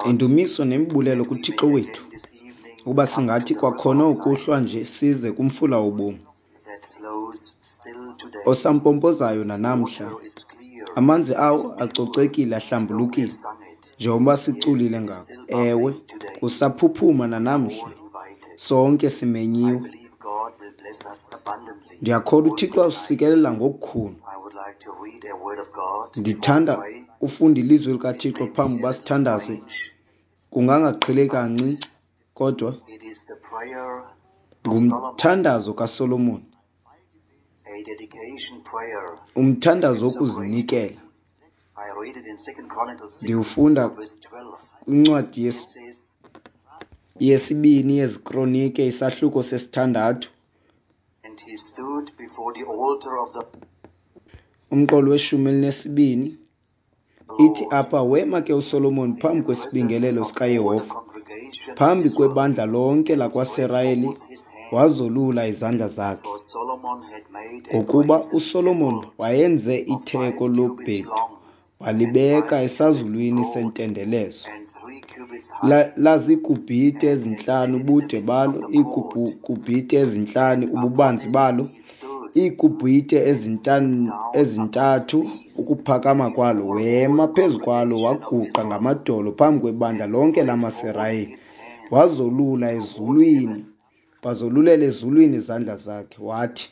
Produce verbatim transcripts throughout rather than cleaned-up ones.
Indumiso nemibulelo kuThixo wethu, ukuba singathi kwakhona ukuhlwa nje size kumfula wobomi osampompozayo nanamhla. Amanzi awo acocekile, ahlambulukile, njengoba siculile ngako. Ewe, kusaphuphuma nanamhla. Sonke simenyiwe. Ndiyakholwa uThixo usikelela ngokukhulu. Ndithanda ufunda ilizwi likaThixo phambi uba sithandaze. Kungangaqheleki kancinci, kodwa ngumthandazo kaSolomon, umthandazo wokuzinikela. Ndiwufunda kwincwadi yesibini yeziKronike, isahluko sesithandathu, umqolo weshumi elinesibini. Ithi apha, wema ke uSolomon phambi kwesibingelelo sikaYehova, phambi kwebandla lonke lakwaSirayeli, wazolula izandla zakhe. Ngokuba uSolomon wayenze itheko lobhedu, walibeka esazulwini sentendelezo. Laziikubhite ezintlanu ubude balo, iikubhite ezintlanu ububanzi balo, iikubhite ezintathu ukuphakama kwalo. Wema phezu kwalo, waguqa ngamadolo phambi kwebandla lonke lamaSirayeli, wazolula ezulwini, wazolulela ezulwini izandla zakhe, wathi,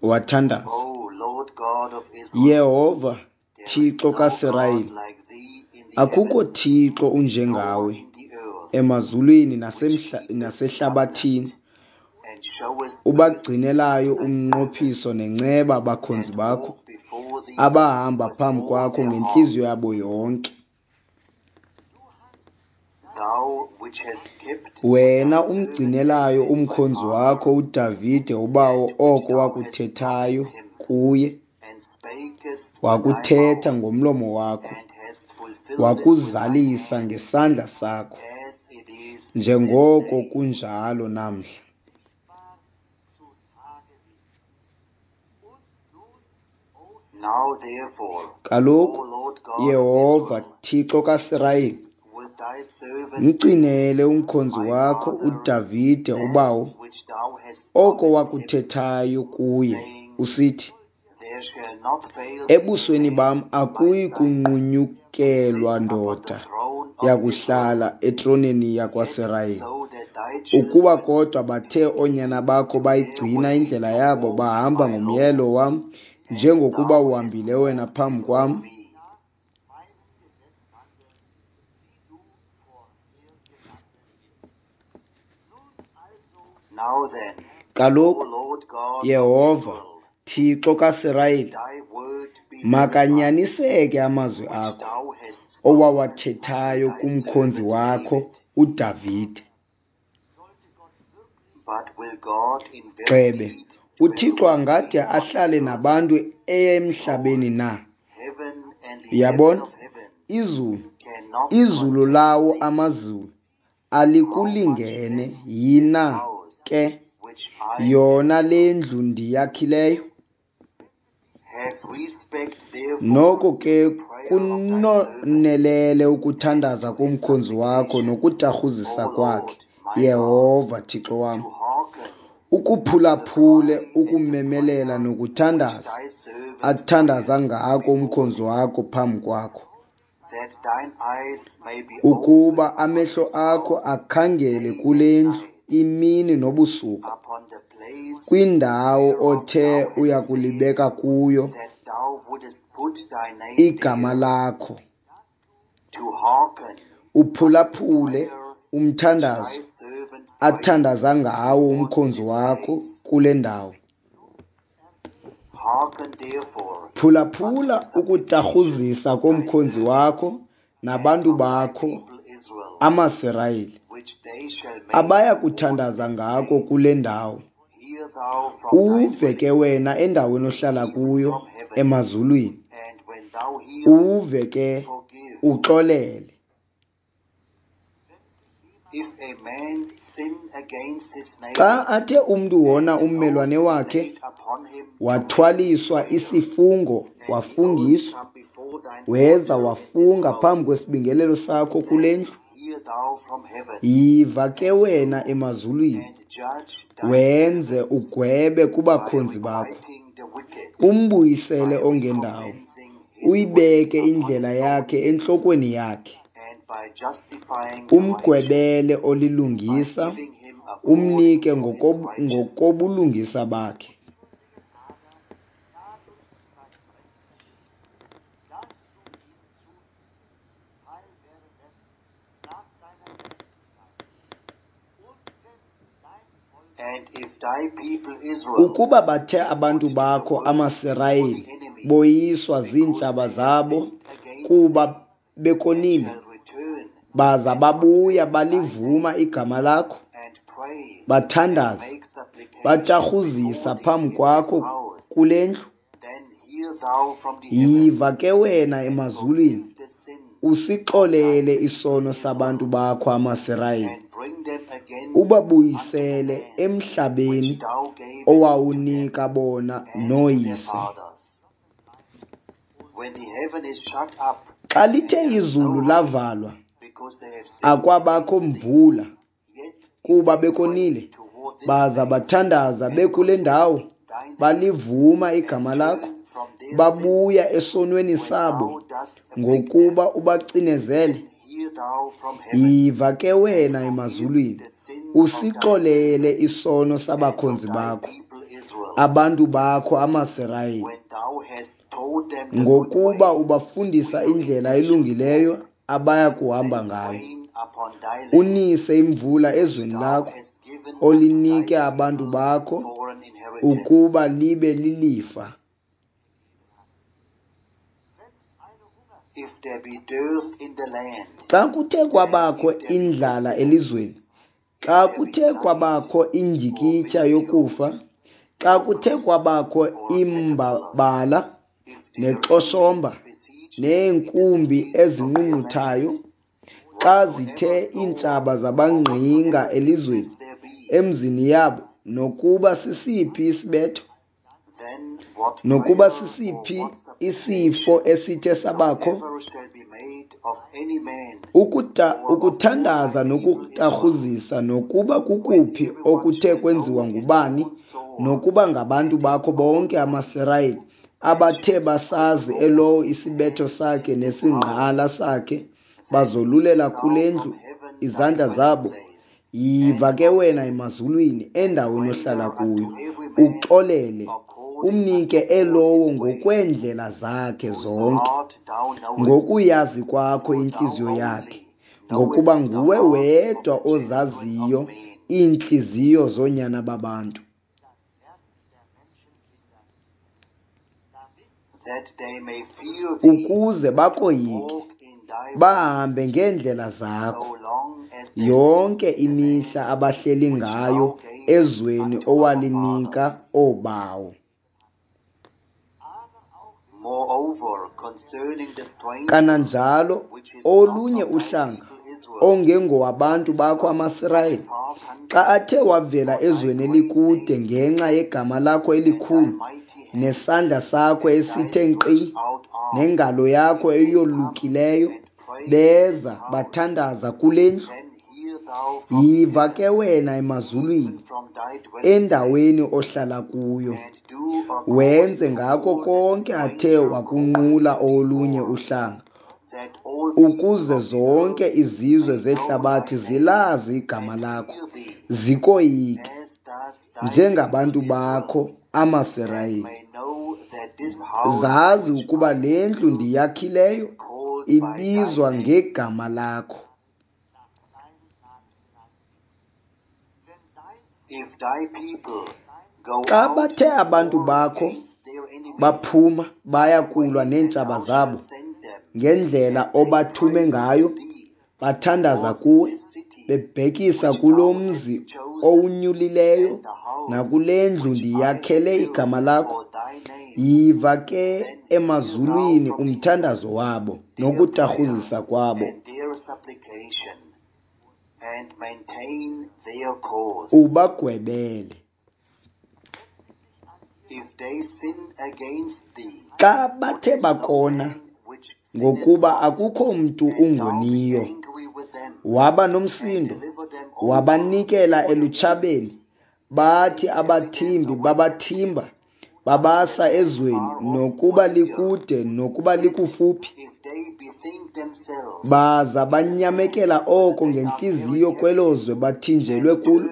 wathandaza, Yehova, Thixo kaSirayeli, akukho Thixo unjengawe emazulwini nasehlabathini, ubagcinelayo umnqophiso nenceba abakhonzi bakho, abahamba phambi kwakho ngentliziyo yabo yonke. Wena umgcinelayo umkhonzi wakho uDavide ubawo oko wakuthethayo kuye, wakuthetha ngomlomo wakho, wakuzalisa ngesandla sakho, njengoko kunjalo namhla. Kaloku, Yehova, Thixo kaSirayeli, mgcinele umkhonzi wakho uDavide ubawo oko wakuthethayo kuye, usithi, ebusweni bam akuyi kunqunyukelwa ndoda yakuhlala etroneni yakwaSirayeli. Ukuba kodwa bathe oonyana bakho bayigcina indlela yabo, bahamba ngomyalelo wam, njengokuba uhambile wena phambi kwam, Kaloku, Yehova, Thixo kaSirayeli, makanyaniseke amazwi akho owawathethayo kumkhonzi wakho uDavide. Gxebe, uThixo angade ahlale nabantu emhlabeni na? Uyabona, izulu, izulu lawo amazulu alikulingene yina ke yona le ndlu ndiyakhileyo? Noko ke kunonelele ukuthandaza komkhonzi wakho nokutarhuzisa kwakhe, Yehova Thixo wam, ukuphulaphule ukumemelela nokuthandaza athandaza ngako umkhonzi wakho phambi kwakho, ukuba amehlo akho akhangele kule ndlu imini nobusuku, kwindawo othe uyakulibeka kuyo igama lakho, uphulaphule umthandazo athandaza ngawo umkhonzi wakho kule ndawo. Phulaphula ukutarhuzisa komkhonzi wakho nabantu bakho amaSirayeli, abaya kuthandaza ngako kule ndawo. Uve ke wena endaweni ohlala kuyo emazulwini, uve ke uxolele. Xa athe umntu wona ummelwane wakhe, wathwaliswa isifungo, wafungiswa, weza wafunga phambi kwesibingelelo sakho kule ndlu, yiva ke wena emazulwini, wenze ugwebe kubakhonzi bakho, umbuyisele ongendawo, uyibeke indlela yakhe entlokweni yakhe, umgwebele olilungisa, umnike ngokobulungisa bakhe. Ukuba bathe abantu bakho amaSirayeli boyiswa ziintshaba zabo kuba bekonile, baza babuya balivuma igama lakho, bathandaza, batarhuzisa phambi kwakho kule ndlu, yiva ke wena emazulwini, usixolele isono sabantu bakho amaSirayeli, ubabuyisele emhlabeni owawunika bona nooyise. Xa lithe izulu lavalwa, akwabakho mvula, kuba bekonile, baza bathandaza bekule ndawo, balivuma igama lakho, babuya esonweni sabo, ngokuba ubacinezele. Yiva ke wena emazulwini, usixolele isono sabakhonzi bakho, abantu bakho amaSirayeli, ngokuba ubafundisa indlela elungileyo abaya kuhamba ngayo. Unise imvula ezweni lakho, olinike abantu bakho ukuba libe lilifa. Xa kuthe kwabakho indlala elizweni, xa kuthe kwabakho indyikitya yokufa, xa kuthe kwabakho imbabala nexhoshomba neenkumbi ezinqunquthayo, xa zithe iintshaba zabangqinga elizweni, emzini yabo, nokuba sisiphi isibetho, nokuba sisiphi isifo esithe sabakho, ukuta, ukuthandaza nokutarhuzisa, nokuba kukuphi okuthe kwenziwa ngubani, nokuba ngabantu bakho bonke amaSirayeli, abathe basazi elowo isibetho sakhe nesingqala sakhe, bazolulela kule ndlu izandla zabo, yiva ke wena emazulwini, endaweni ohlala kuyo, uxolele, umnike elowo ngokweendlela zakhe zonke, ngokuyazi kwakho intliziyo yakhe, ngokuba nguwe wedwa ozaziyo iintliziyo zoonyana babantu, ukuze bakoyike, bahambe ngeendlela zakho yonke imihla abahleli ngayo ezweni owalinika oobawo. Kananjalo olunye uhlanga ongengowabantu bakho amaSirayeli, xa athe wavela ezweni elikude ngenxa yegama lakho elikhulu nesandla sakho esithe nkqi nengalo yakho eyolukileyo, beza bathandaza kule ndlu, yiva ke wena emazulwini, endaweni ohlala kuyo, wenze ngako konke athe wakunqula olunye uhlanga, ukuze zonke izizwe zehlabathi zilazi igama lakho, zikoyike, njengabantu bakho amaSirayeli. Zazi ukuba le ndlu ndiyakhileyo ibizwa ngegama lakho. Xa bathe abantu bakho baphuma baya kulwa neentshaba zabo ngendlela obathume ngayo, bathandaza kuwe, bebhekisa kulo mzi owunyulileyo nakule ndlu ndiyakhele igama lakho, yiva ke emazulwini umthandazo wabo nokutarhuzisa kwabo, Ubagwebele. Xa bathe bakona, ngokuba akukho mntu ungoniyo, waba nomsindo, wabanikela elutshabeni, bathi abathimbi babathimba, babasa ezweni, nokuba likude nokuba likufuphi, baza banyamekela oko ngentliziyo kwelo zwe bathinjelwe kulo,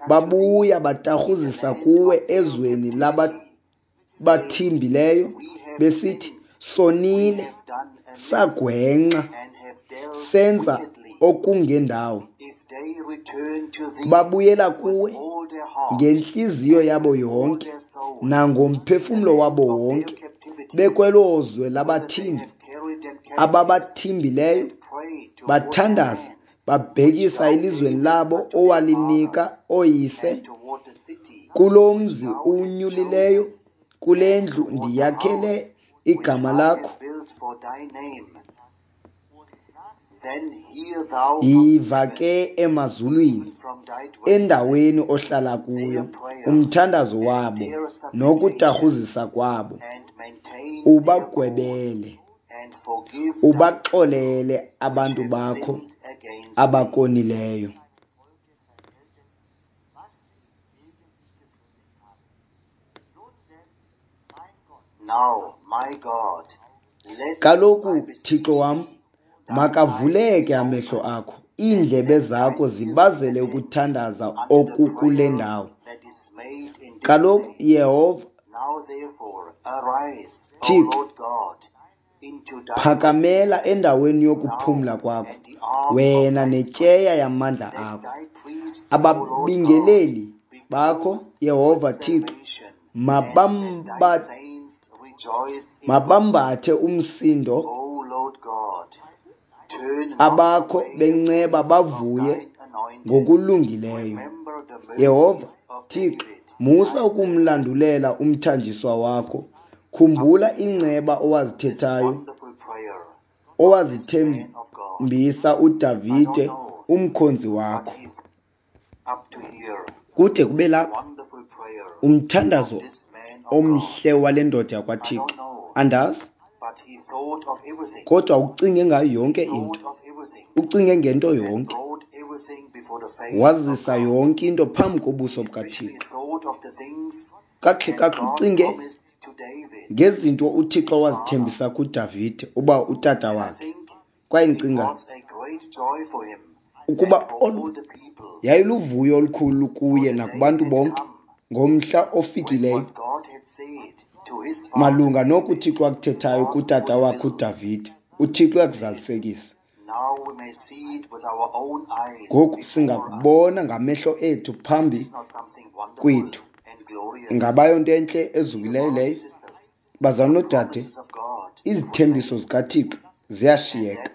babuya batarhuzisa kuwe ezweni labathimbileyo, besithi, Sonile, sagwenxa, senza okungendawo. Babuyela kuwe ngentliziyo yabo yonke nangomphefumlo wabo wonke, bekwelo zwe labathimbi ababathimbileyo, bathandaza babhekisa elizweni labo owalinika ooyise, kulo mzi uwunyulileyo, kule ndlu ndiyakhele igama lakho. Yiva ke emazulwini, endaweni ohlala kuyo, umthandazo wabo nokutarhuzisa kwabo, ubagwebele, ubaxolele abantu bakho abakonileyo. Kaloku, Thixo wam, makavuleke amehlo akho, iindlebe zakho zibazele ukuthandaza okukule ndawo. Kaloku, Yehova Thixo, phakamela endaweni yokuphumla kwakho, wena netyeya yamandla akho. Ababingeleli bakho, Yehova Thixo, mabamba mabambathe umsindo, abakho benceba bavuye ngokulungileyo. Yehova Thixo, musa ukumlandulela umthanjiswa wakho. Khumbula inceba owazithethayo, owazithembisa uDavide umkhonzi wakho. Kude kube lapha umthandazo omhle wale ndoda yakwaThixo. Andazi, kodwa ucinge ngayo yonke into, ucinge ngento yonke, wazisa yonke into phambi kobuso bukaThixo. Kakuhle kakuhle ucinge ngezinto uThixo wazithembisa kuDavide uba utata wakhe. Kwaye ndicinga ukuba olu yayiluvuyo olukhulu kuye nakubantu bonke ngomhla ofikileyo malunga noku uThixo akuthethayo kutata wakhe uDavide. uThixo uyakuzalisekisa. Ngoku singakubona ngamehlo ethu phambi kwethu. Ingaba yonto entle ezukileyo leyo? Bazalwane noodade, izithembiso zikaThixo ziyashiyeka,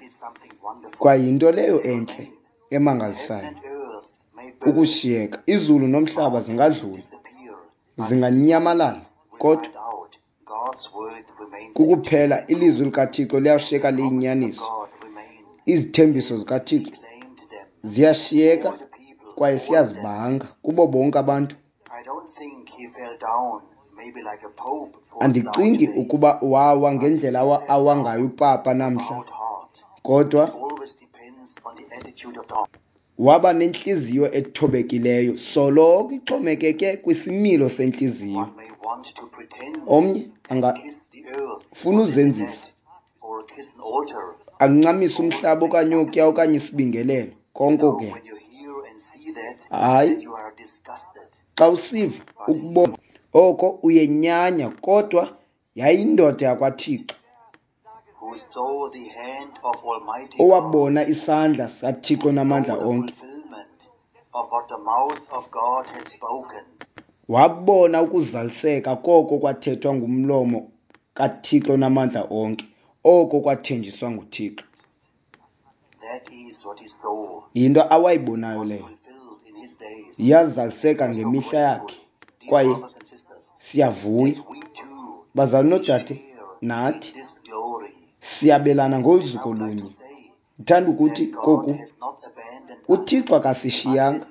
kwaye yinto leyo entle emangalisayo ukushiyeka. Izulu nomhlaba zingadlula, zinganyamalala, kodwa kukuphela ilizwi likaThixo liyashiyeka liyinyaniso. Izithembiso zikaThixo ziyashiyeka kwaye siyazibanga kubo bonke abantu. Andicingi ukuba wawa ngendlela awa ngayo upapa namhla, kodwa waba nentliziyo ethobekileyo, soloko ixhomekeke kwisimilo sentliziyo. Omnye angafuna uzenzisa, ancamise umhlaba okanye okuya okanye isibingelelo, konke ke. Hayi, xa usiva ukubona oko uyenyanya, kodwa yayindoda yakwaThixo owabona isandla sikaThixo namandla onke. Wabona ukuzaliseka koko kwathethwa ngumlomo kaThixo namandla onke, oko kwathenjiswa nguThixo. Yinto awayibonayo leyo, yazaliseka ngemihla yakhe, kwaye siyavuya. Bazalwane noodade, nathi siyabelana ngolu zuko lunye. Ndithanda ukuthi koku, uThixo akasishiyanga,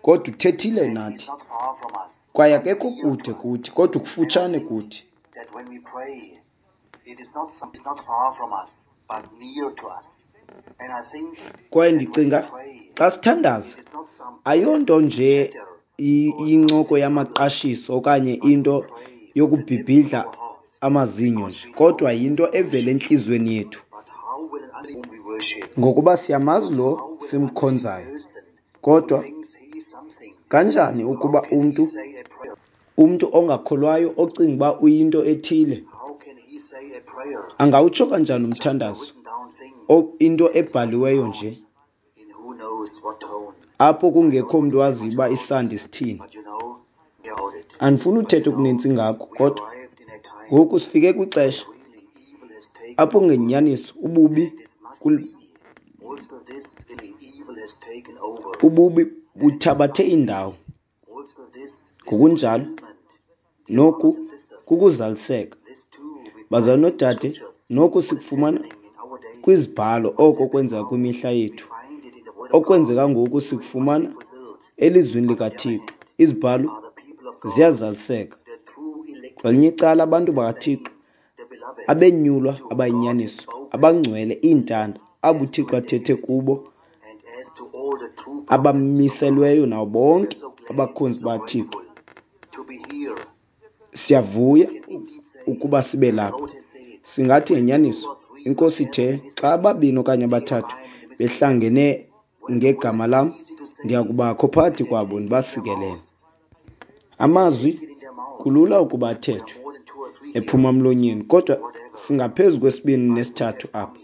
kodwa uthethile nathi. Kwaye akekho kude kuthi, kodwa ukufutshane kuthi. Kwaye ndicinga xa sithandaza, ayonto nje incoko yamaqashiso okanye into yokubhibhidla amazinyo nje, kodwa yinto evela entliziyweni yethu. Ngokuba siyamazi lo simkhonzayo. Kodwa kanjani ukuba umntu umntu ongakholwayo ocinga uba uyinto ethile angawutsho kanjani umthandazo, into ebhaliweyo nje, apho kungekho mntu waziyo uba isandi sithini? Andifuni uthetha okunintsi ngako, kodwa ngoku sifike kwixesha apho ngenyaniso ububi ububi buthabathe indawo. Ngokunjalo noku kukuzaliseka. Bazalwane noodade, noku sikufumana kwizibhalo oko kwenzeka kwimihla yethu. Okwenzeka ngoku sikufumana elizwini likaThixo. Izibhalo ziyazaliseka. Kwelinye icala, abantu bakaThixo abenyulwa abayinyaniso, abangcwele, iintanda, abo uThixo athethe kubo, abamiselweyo nabo bonke abakhonzi baThixo. Siyavuya ukuba sibe lapha. Singathi ngenyaniso, iNkosi ithe, xa ababini okanye abathathu behlangene ngegama lam, ndiyakubakho phakathi kwabo ndibasikelele. Amazwi kulula ukuba athethwe ephuma emlonyeni, kodwa singaphezu kwesibini nesithathu apha.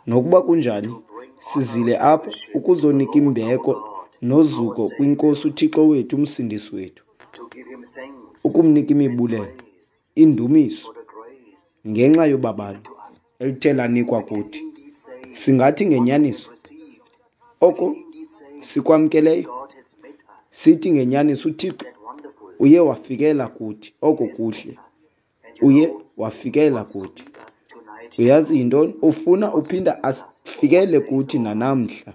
Nokuba kunjani, sizile apha ukuzonika imbeko nozuko kwiNkosi uThixo wethu, uMsindisi wethu, ukumnika imibulelo, indumiso ngenxa yobabalo elithe lanikwa kuthi. Singathi ngenyaniso oko sikwamkeleyo, sithi ngenyaniso uThixo uye wafikela kuthi, oko kuhle uye wafikela kuthi. Uyazi yintoni? Ufuna uphinda asifikele kuthi nanamhla.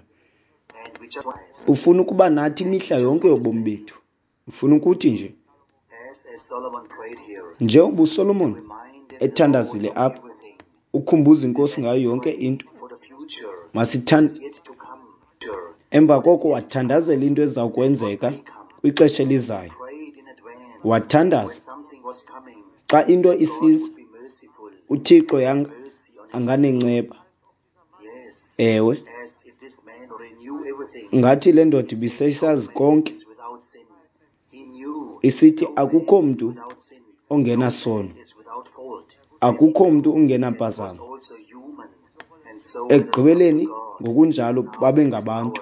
Ufuna ukuba nathi imihla yonke yobomi bethu. Ufuna ukuthi nje, njengoba uSolomon ethandazile apha, ukhumbuza iNkosi ngayo yonke into. Masithand Emva koko wathandazela into eza kwenzeka kwixesha elizayo. Wathandaza xa into isiza, uThixo yanga anganenceba. Ewe, ngathi le ndoda ibisesazi konke, isithi akukho mntu ongenasono, akukho mntu ungenampazamo. Ekugqibeleni ngokunjalo babengabantu.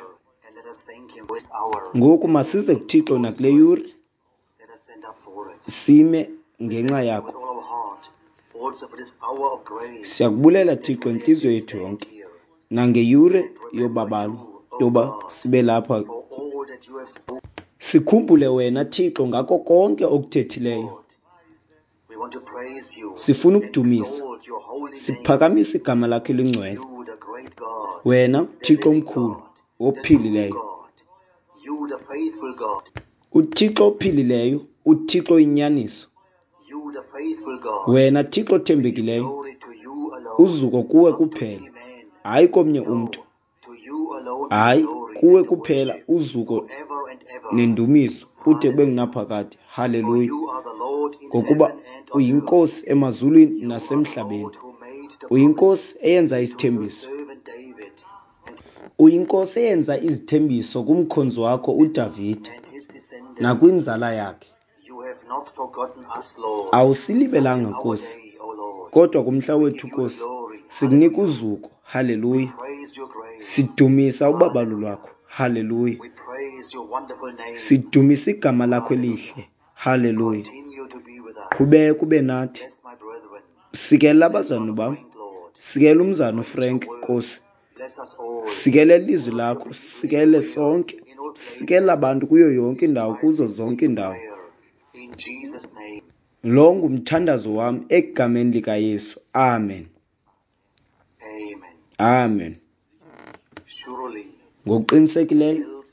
Ngoku masize kuThixo nakule yure, sime ngenxa yakho. Siyakubulela Thixo intliziyo yethu yonke nangeyure yobabalo yoba sibe lapha. Sikhumbule wena Thixo ngako konke okuthethileyo. Sifuna ukudumisa, siphakamise igama lakho elingcwele, wena Thixo omkhulu ophilileyo, uThixo ophilileyo, uThixo oyinyaniso, wena Thixo othembekileyo. Uzuko kuwe kuphela, hayi komnye umntu, hayi kuwe kuphela uzuko nendumiso kude kube ngunaphakade. Haleluya! Ngokuba uyiNkosi emazulwini nasemhlabeni, uyiNkosi eyenza isithembiso, uyiNkosi eyenza izithembiso kumkhonzi wakho uDavide nakwinzala yakhe. Awusilibelanga Nkosi, kodwa kumhla wethu Nkosi sikunika uzuko. Haleluya! Sidumisa ubabalo lwakho. Haleluya! Sidumisa igama lakho elihle. Haleluya! Qhubeka ube nathi. Sikelela abazalwane bam, sikelela umzana uFrank Nkosi, sikelela ilizwi lakho, sikelele sonke, sikelela abantu kuyo yonke indawo, kuzo zonke iindawo. Lo ngumthandazo wam egameni likaYesu. Amen. Amen. Ngokuqinisekileyo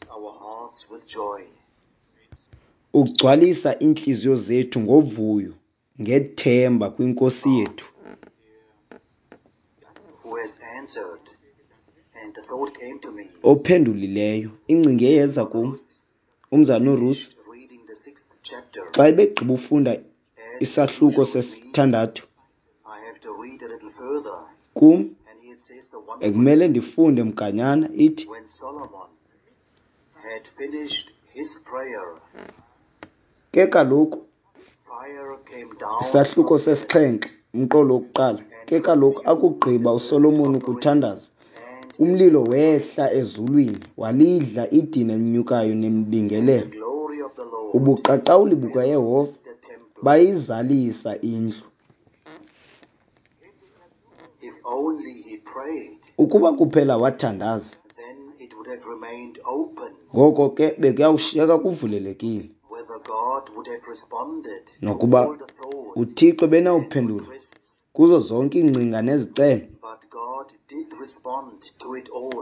ugcwalisa iintliziyo zethu ngovuyo ngethemba kwiNkosi yethu. Ophendulileyo, ingcinga eyeza kum, umzana uRuth, xa ebegqiba ufunda isahluko sesithandathu, kum ekumele ndifunde mganyana ithi, ke kaloku isahluko sesixhenxe umqolo wokuqala, ke kaloku akugqiba uSolomon ukuthandaza, umlilo wehla ezulwini walidla idini elinyukayo nemibingelelo. Ubuqaqawuli bukaYehova bayizalisa indlu. Ukuba kuphela wathandaza, ngoko ke bekuyawushiyeka kuvulelekile, nokuba uThixo benawuphendula kuzo zonke iingcinga nezicelo.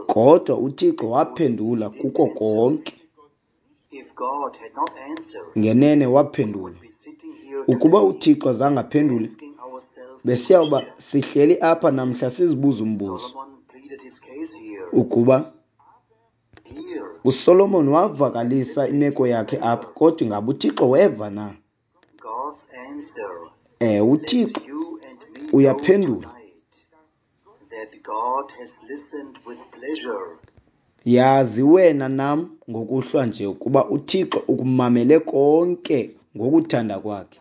Kodwa uThixo waphendula kuko konke. Ngenene waphendula. Ukuba uThixo azange aphendule, besiyawuba sihleli apha namhla sizibuza umbuzo ukuba uSolomon wavakalisa imeko yakhe apha, kodwa ingaba uThixo weva na? Eh, uThixo uyaphendula. Yazi wena nam ngokuhlwa nje ukuba uThixo ukumamele konke ngokuthanda kwakhe,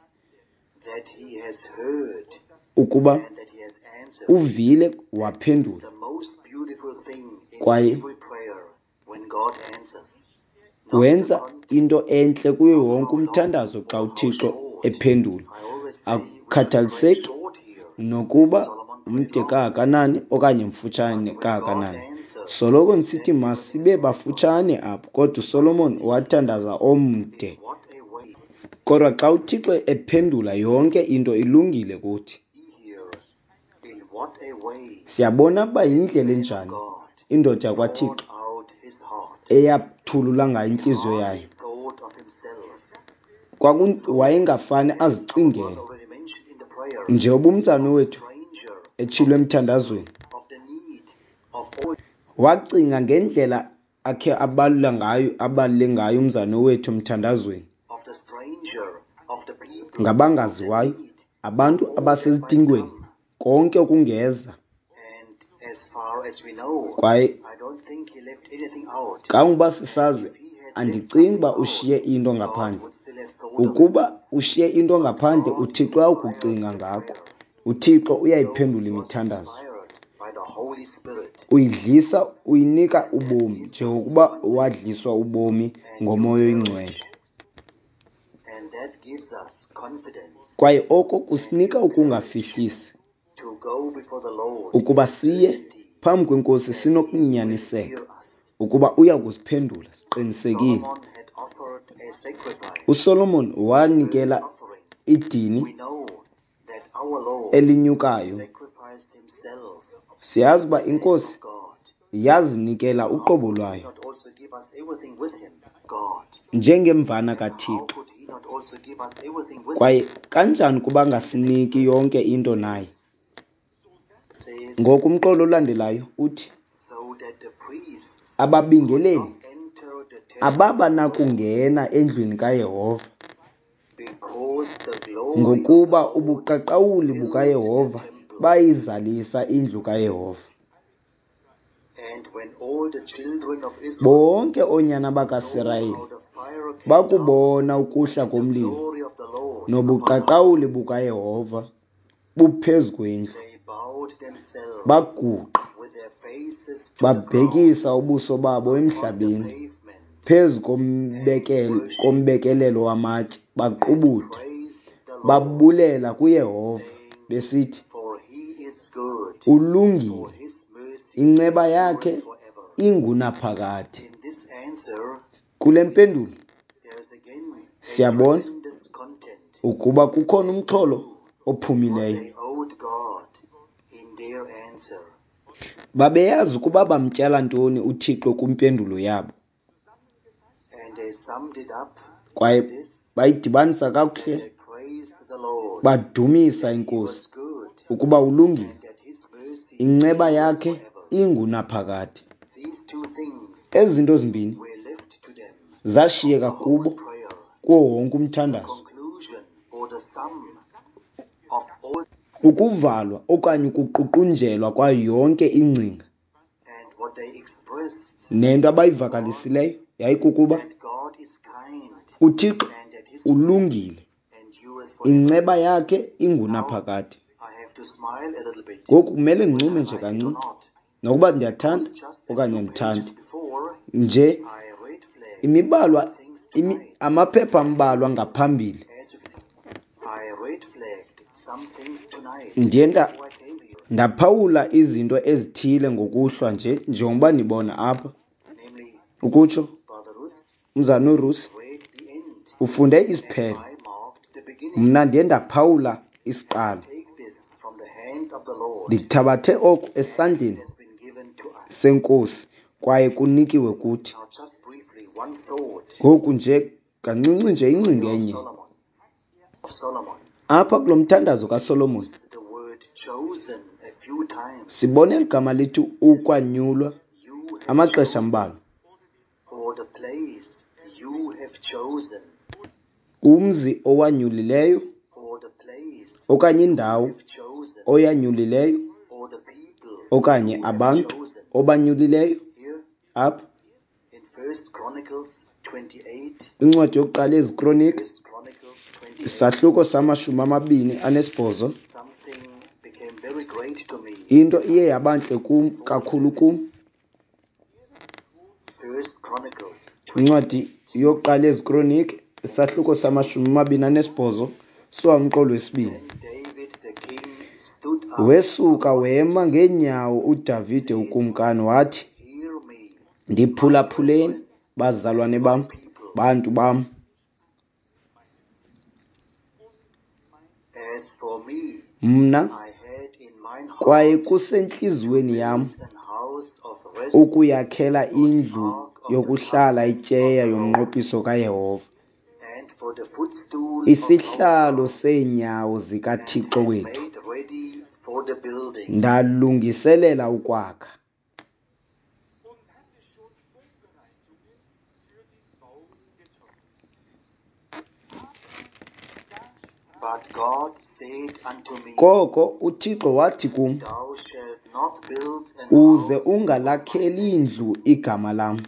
ukuba uvile waphendula. Kwaye wenza into entle kuyo wonke umthandazo xa uThixo ephendula, akukhathaliseki nokuba mde kangakanani okanye mfutshane kangakanani. Soloko ndisithi masibe bafutshane apho, kodwa uSolomon wathandaza omde. Kodwa xa uThixo ephendula, yonke into ilungile kuthi. Siyabona uba yindlela enjani indoda yakwaThixo eyathulula ngayo intliziyo yayo. Wayengafane azicingele. Njengoba umzana wethu etshilo emthandazweni, wacinga ngendlela akhe abalula ngayo, abalule ngayo umzana wethu emthandazweni, ngabangaziwayo, abantu abasezidingweni, konke okungeza. Kwaye kangoba sisazi, andicingi uba ushiye into ngaphandle. Ukuba ushiye into ngaphandle, uThixo uyakucinga ngako. UThixo uyayiphendula imithandazo. Uyidlisa, uyinika ubomi njengokuba wadliswa ubomi ngoMoya oyiNgcwele. Kwaye oko kusinika ukungafihlisi ukuba siye phambi kweNkosi sinokunyaniseka ukuba uya kusiphendula siqinisekile. USolomon wanikela idini elinyukayo. Siyazi uba iNkosi yazinikela uqobo lwayo njengemvana kaThixo. Kwaye kanjani kuba angasiniki yonke into naye? Ngoku umqolo olandelayo uthi ababingeleli ababa nakungena endlwini kaYehova, ngokuba ubuqaqawuli bukaYehova bayizalisa indlu kaYehova. Bonke oonyana bakaSirayeli bakubona ukuhla komlilo nobuqaqawuli bukaYehova buphezu kwendlu, baguqa babhekisa ubuso babo emhlabeni phezu kombekelelo wamatye, baqubuda babulela kuYehova besithi, ulungile, inceba yakhe ingunaphakade. Kule mpendulo siyabona ukuba kukhona umxholo ophumileyo Babeyazi ukuba bamtyala ntoni uThixo kwimpendulo yabo. Kwaye bayidibanisa kakuhle, badumisa iNkosi ukuba ulungile, inceba yakhe ingunaphakade. Ezi zinto zimbini zashiyeka kubo kuwo wonke umthandazo. Ukuvalwa okanye ukuququnjelwa kwayo yonke ingcinga nento abayivakalisileyo yayikukuba uThixo ulungile, inceba yakhe ingunaphakade. Ngoku kumele ndincume nje kancinci, nokuba ndiyathanda okanye andithandi. Nje imibalwa, imi, amaphepha ambalwa ngaphambili ndiye ndaphawula izinto ezithile ngokuhlwa nje, njengoba nibona apha. Ukutsho umzana uRusi ufunde isiphelo, mna ndiye ndaphawula isiqalo. Ndithabathe oku esandleni seNkosi kwaye kunikiwe kuthi. Ngoku nje kancinci nje ingcinga enye. Apha kulo mthandazo kaSolomon sibona eli gama lithi ukwanyulwa amaxesha ambalwa. Umzi owanyulileyo okanye indawo oyanyulileyo okanye abantu obanyulileyo. Apha incwadi yokuqala yeziKronike, isahluko samashumi amabini anesibhozo. Into iye yabantle kum kakhulu kum. Incwadi yokuqala yeziKronike, isahluko samashumi amabini anesibhozo, suka umqolo wesibini. Wesuka wema ngeenyawo uDavide ukumkani wathi, ndiphulaphuleni, bazalwane bam, bantu bam. Mna kwaye kusentliziyweni yam ukuyakhela indlu yokuhlala ityeya yomnqophiso kaYehova, isihlalo seenyawo zikaThixo wethu. Ndalungiselela ukwakha. Koko uThixo wathi kum, uze ungalakheli indlu igama lam,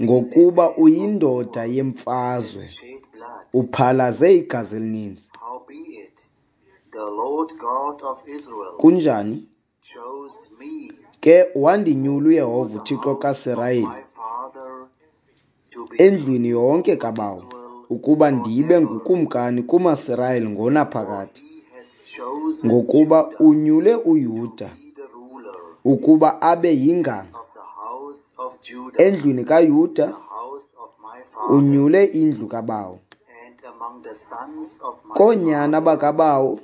ngokuba uyindoda yemfazwe, uphalaze igazi elininzi. Kunjani ke wandinyula uYehova uThixo kaSirayeli endlwini yonke kabawo, ukuba ndibe ngukumkani kumaSirayeli ngonaphakade, ngokuba unyule uYuda ukuba abe yinganga endlwini kaYuda, unyule indlu kabawo. Koonyana bakabawo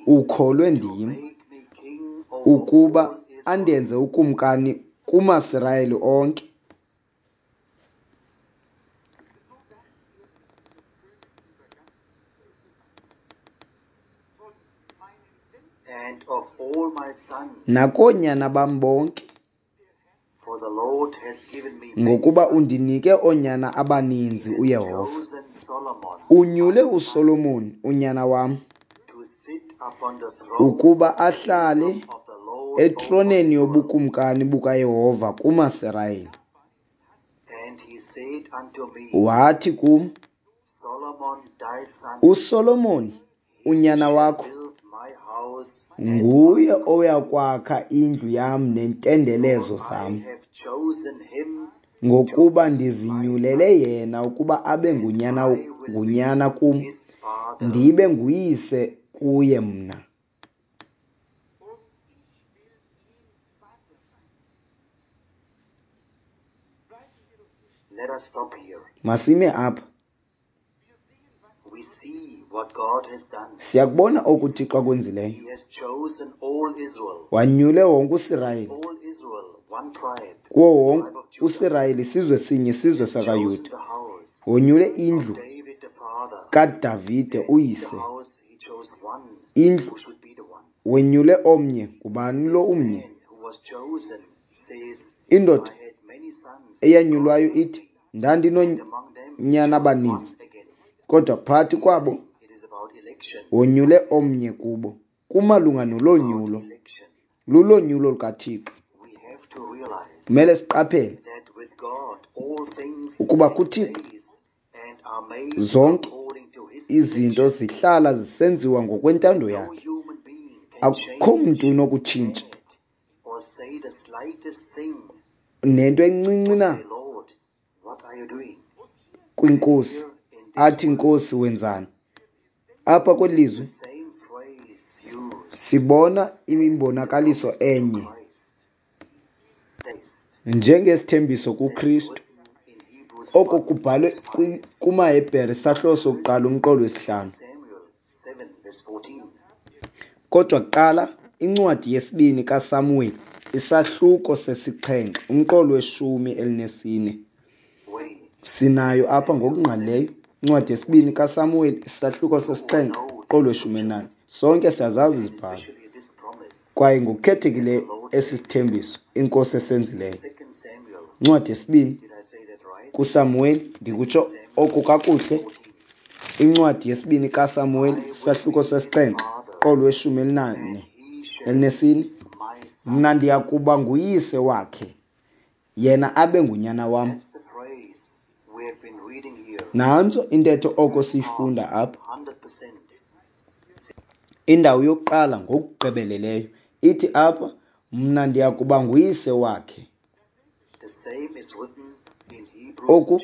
ukholwe ndim, ukuba andenze ukumkani kumaSirayeli onke. Nakoonyana bam bonke, ngokuba undinike oonyana abaninzi uYehova. Unyule uSolomon unyana wam ukuba ahlale etroneni yobukumkani bukaYehova kumaSirayeli. Wathi kum, uSolomon unyana wakho nguye oyakwakha indlu yam neentendelezo zam, ngokuba ndizinyulele yena ukuba abe ngunyana ngunyana kum, ndibe nguyise kuye mna. Masime apha. Siyakubona oku uThixo akwenzileyo. Wanyule wonke uSirayeli. Kuwo wonke uSirayeli isizwe sinye, isizwe sakaYuda. Wonyule indlu kaDavide uyise. Indlu wenyule omnye. Ngubani lo umnye? Indoda eyanyulwayo ithi, ndandinoonyana abaninzi, kodwa phakathi kwabo wonyule omnye kubo. Kumalunga nolonyulo, lulonyulo lukaThixo. Kumele siqaphele ukuba kuThixo zonke izinto zihlala zisenziwa ngokwentando yakhe. Akukho mntu unokutshintsha nento encinci na kwinkosi athi, Nkosi, wenzani? Apha kweli lizwi sibona imbonakaliso enye njengesithembiso kuKristu. Oko kubhalwe kumaHebhere isahluko sokuqala umqolo wesihlanu. Kodwa kuqala incwadi yesibini kaSamuweli isahluko sesixhenxe umqolo weshumi elinesine. Sinayo apha ngokungqalileyo incwadi yesibini kaSamuweli isahluko sesixhenxe umqolo weshumi elinane. Sonke siyazazi izibhalo kwaye ngokukhethekileyo esi sithembiso inkosi esenzileyo. Incwadi yesibini kuSamuweli, ndikutsho oku kakuhle, incwadi yesibini kaSamuweli isahluko sesixhenxe umqolo weshumi elinane elinesine. Mna ndiya kuba nguyise wakhe, yena abe ngunyana wam. Nantso intetho oko siyifunda apha. Indawo yokuqala ngokugqibeleleyo ithi apha, mna ndiya kuba nguyise wakhe. Oku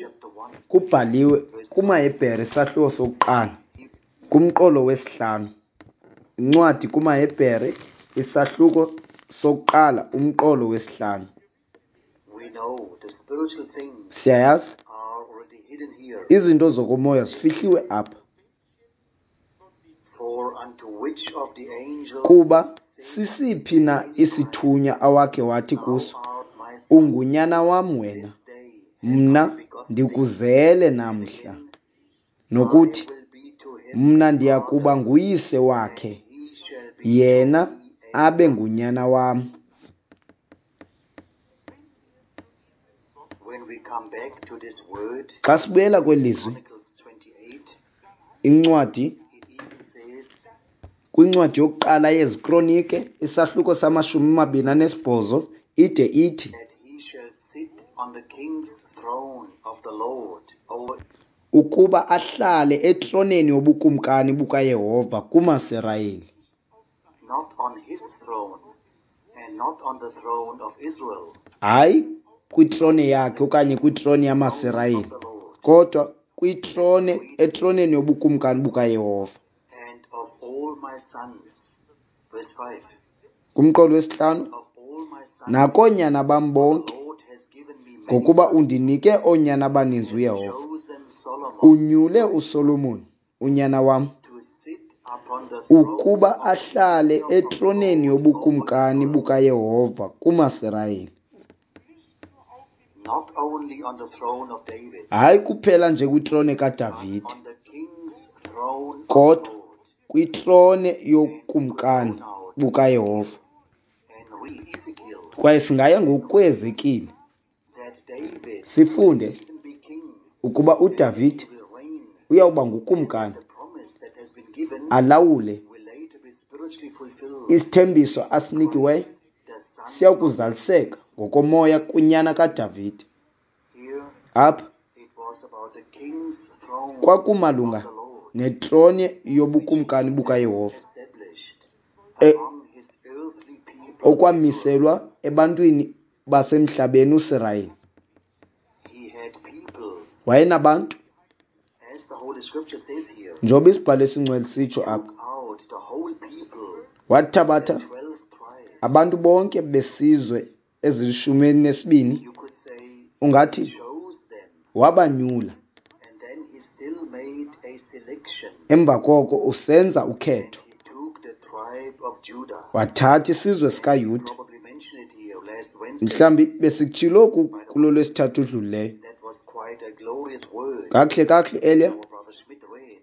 kubhaliwe kumaHebhere isahluko sokuqala kumqolo wesihlanu. Incwadi kumaHebhere isahluko sokuqala umqolo wesihlanu. Siyayazi izinto zokomoya zifihliwe apha. Kuba sisiphi na isithunywa awakhe wathi kuso, ungunyana wam wena, mna ndikuzele namhla, nokuthi mna ndiya kuba nguyise wakhe, yena abe ngunyana wam. Xa sibuyela kweli lizwi, incwadi kwincwadi yokuqala yeziKronike isahluko samashumi amabini anesibhozo ide ithi ukuba ahlale etroneni yobukumkani bukaYehova kumaSirayeli. Hayi kwitrone yakhe okanye kwitrone yamaSirayeli, kodwa kwitrone etroneni yobukumkani bukaYehova. Kumqolo wesihlanu, nakoonyana bam bonke, ngokuba undinike oonyana abaninzi uYehova, unyule uSolomon unyana wam ukuba ahlale etroneni yobukumkani bukaYehova kumaSirayeli. Hayi kuphela nje kwitrone kaDavide, kodwa kwitrone yobukumkani bukaYehova. Kwaye singaya ngokuEzekile sifunde ukuba uDavide uyawuba ngukumkani alawule. Isithembiso asinikiweyo siyakuzaliseka ngokomoya kunyana kaDavide. Apha kwakumalunga netrone yobukumkani bukaYehova e, okwamiselwa ebantwini basemhlabeni uSirayeli. Wayenabantu, njengoba isibhalo esingcwele sitsho apha, wathabatha abantu bonke besizwe ezilishumi elinesibini, ungathi wabanyula. Emva koko usenza ukhetho. Wathatha isizwe sikaYuda. Mhlawumbi besikutshilo oku kulo lwesithathu udlulileyo. Kakuhle kakuhle eliya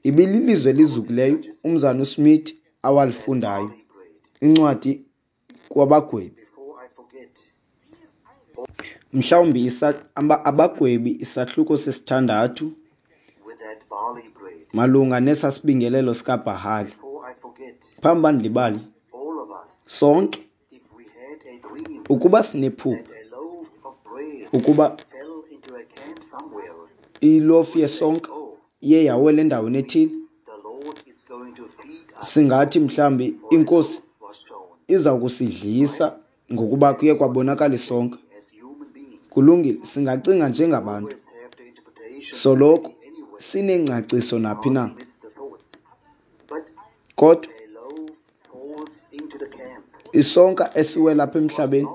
ibililizwe elizukileyo umzana uSmith awalifundayo, incwadi kwabagwebi. Mhlawumbi abagwebi isahluko sesithandathu malunga nesasibingelelo sikaBhahali. Phambi uba ndilibale, sonke ukuba sinephupha ukuba ilofu yesonka iye yawela endaweni ethile, singathi mhlawumbi iNkosi iza kusidlisa ngokuba kuye kwabonakala isonka. Kulungile, singacinga njengabantu. Soloko sinengcaciso naphi na. Kodwa isonka esiwela apha emhlabeni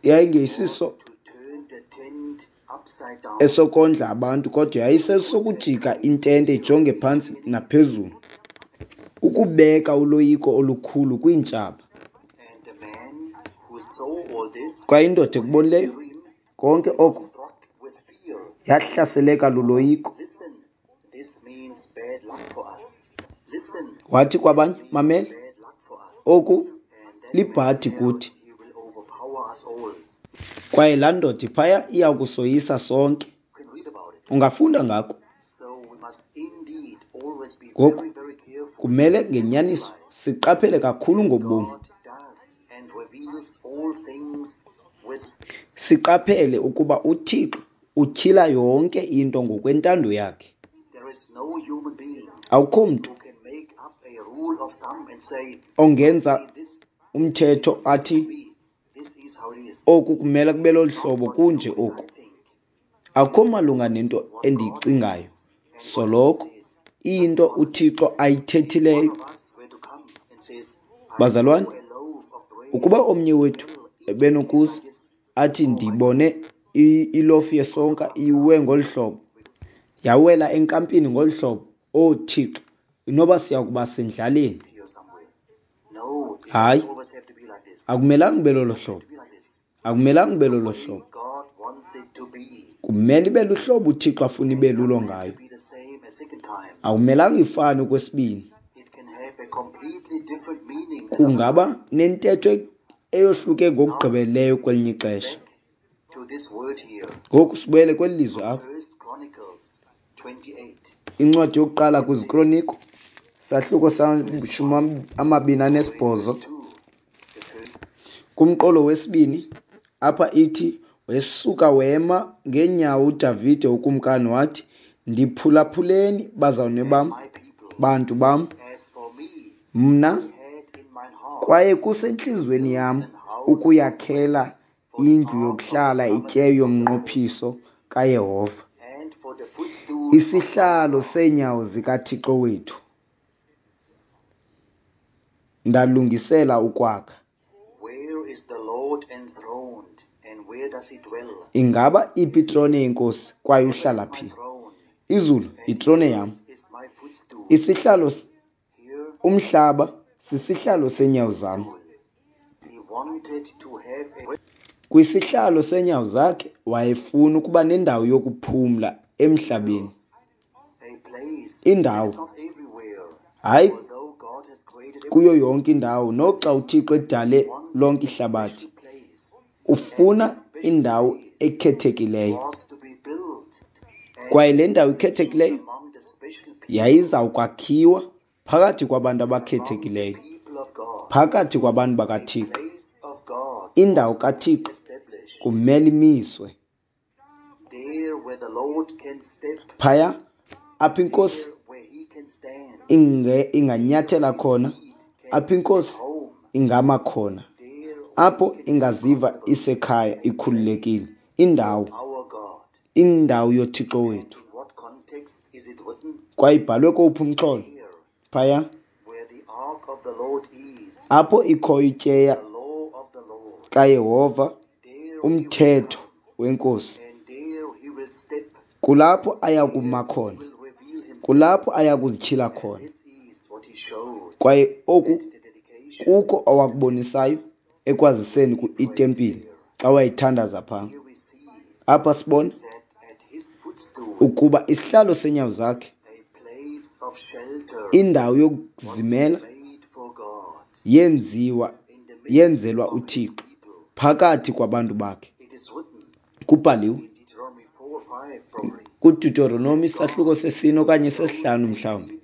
yayingesiso esokondla abantu, kodwa yayisesokujika intente ijonge phantsi naphezulu, ukubeka uloyiko olukhulu kwiintshaba. Kwaye indoda ekubonileyo konke oko yahlaseleka luloyiko. Wathi kwabanye, mamela, oku libhadi kuthi. Kwaye laa ndoda iphaya iya kusoyisa sonke. Ungafunda ngako. Ngoku kumele ngenyaniso siqaphele kakhulu ngobomi. Siqaphele ukuba uThixo utyhila yonke into ngokwentando yakhe. Akukho mntu ongenza umthetho athi oku kumele kube lolu hlobo, kunje oku. Akukho malunga nento endiyicingayo. Soloko iyinto uThixo ayithethileyo. Bazalwane, ukuba omnye wethu ebenokuza athi ndibone ilofu yesonka iwe ngolu hlobo, yawela enkampini ngolu hlobo, oh Thixo, inoba siya kuba sendlaleni. Hayi, akumelanga ube lolo hlobo. Akumelanga ube lolo hlobo. Kumele ibe luhlobo uThixo afuna ibe lulo ngayo. Akumelanga ifane okwesibini. Kungaba nentetho eyohluke ngokugqibeleleyo kwelinye ixesha. Ngoku sibuyele kweli lizwi apha. Incwadi yokuqala kwiziKroniko, sahluko samashumi amabini anesibhozo. Kumqolo wesibini apha ithi, wesuka wema ngeenyawo uDavide ukumkani wathi, ndiphulaphuleni bazalwane bam, bantu bam, mna kwaye kusentliziyweni yam ukuyakhela indlu yokuhlala ityeya yomnqophiso kaYehova, isihlalo seenyawo zikaThixo wethu. Ndalungisela ukwakha. Ingaba iphi itrone yeNkosi kwaye uhlala phi? Izulu yitrone yam. Isihlalo, umhlaba sisihlalo seenyawo zam. Kwisihlalo seenyawo zakhe wayefuna ukuba nendawo yokuphumla emhlabeni. Indawo, hayi kuyo yonke indawo, noxa uThixo edale lonke ihlabathi. Ufuna indawo ekhethekileyo. Kwaye le ndawo ikhethekileyo yayizawukwakhiwa phakathi kwabantu abakhethekileyo, phakathi kwabantu bakaThixo. Indawo kaThixo kumele imiswe. Phaya apho iNkosi inganyathela khona, apho iNkosi ingama khona, apho ingaziva isekhaya ikhululekile, indawo, indawo yoThixo wethu. Kwaye ibhalwe kowuphi umxholo? Phaya apho ikhoyo ityeya kaYehova, umthetho weNkosi, kulapho aya kuma khona, Kulapho aya kuzityhila khona. Kwaye oku kuko awakubonisayo ekwaziseni itempile xa wayethandaza phaa. Apha sibona ukuba isihlalo seenyawo zakhe, indawo yokuzimela, yenziwa yenzelwa uThixo phakathi kwabantu bakhe. Kubhaliwe kuDeuteronomy isahluko sesine okanye sesihlanu mhlawumbi,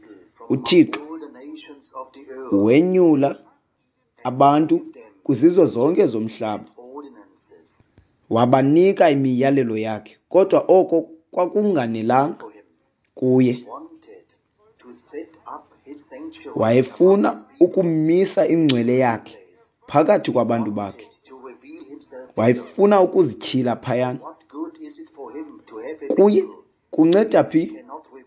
uThixo wenyula abantu kwizizwe zonke zomhlaba, wabanika imiyalelo yakhe, kodwa oko kwakunganelanga kuye. Wayefuna ukumisa ingcwele yakhe phakathi kwabantu bakhe. Wayefuna ukuzityhila phayana. Kuye kunceda phi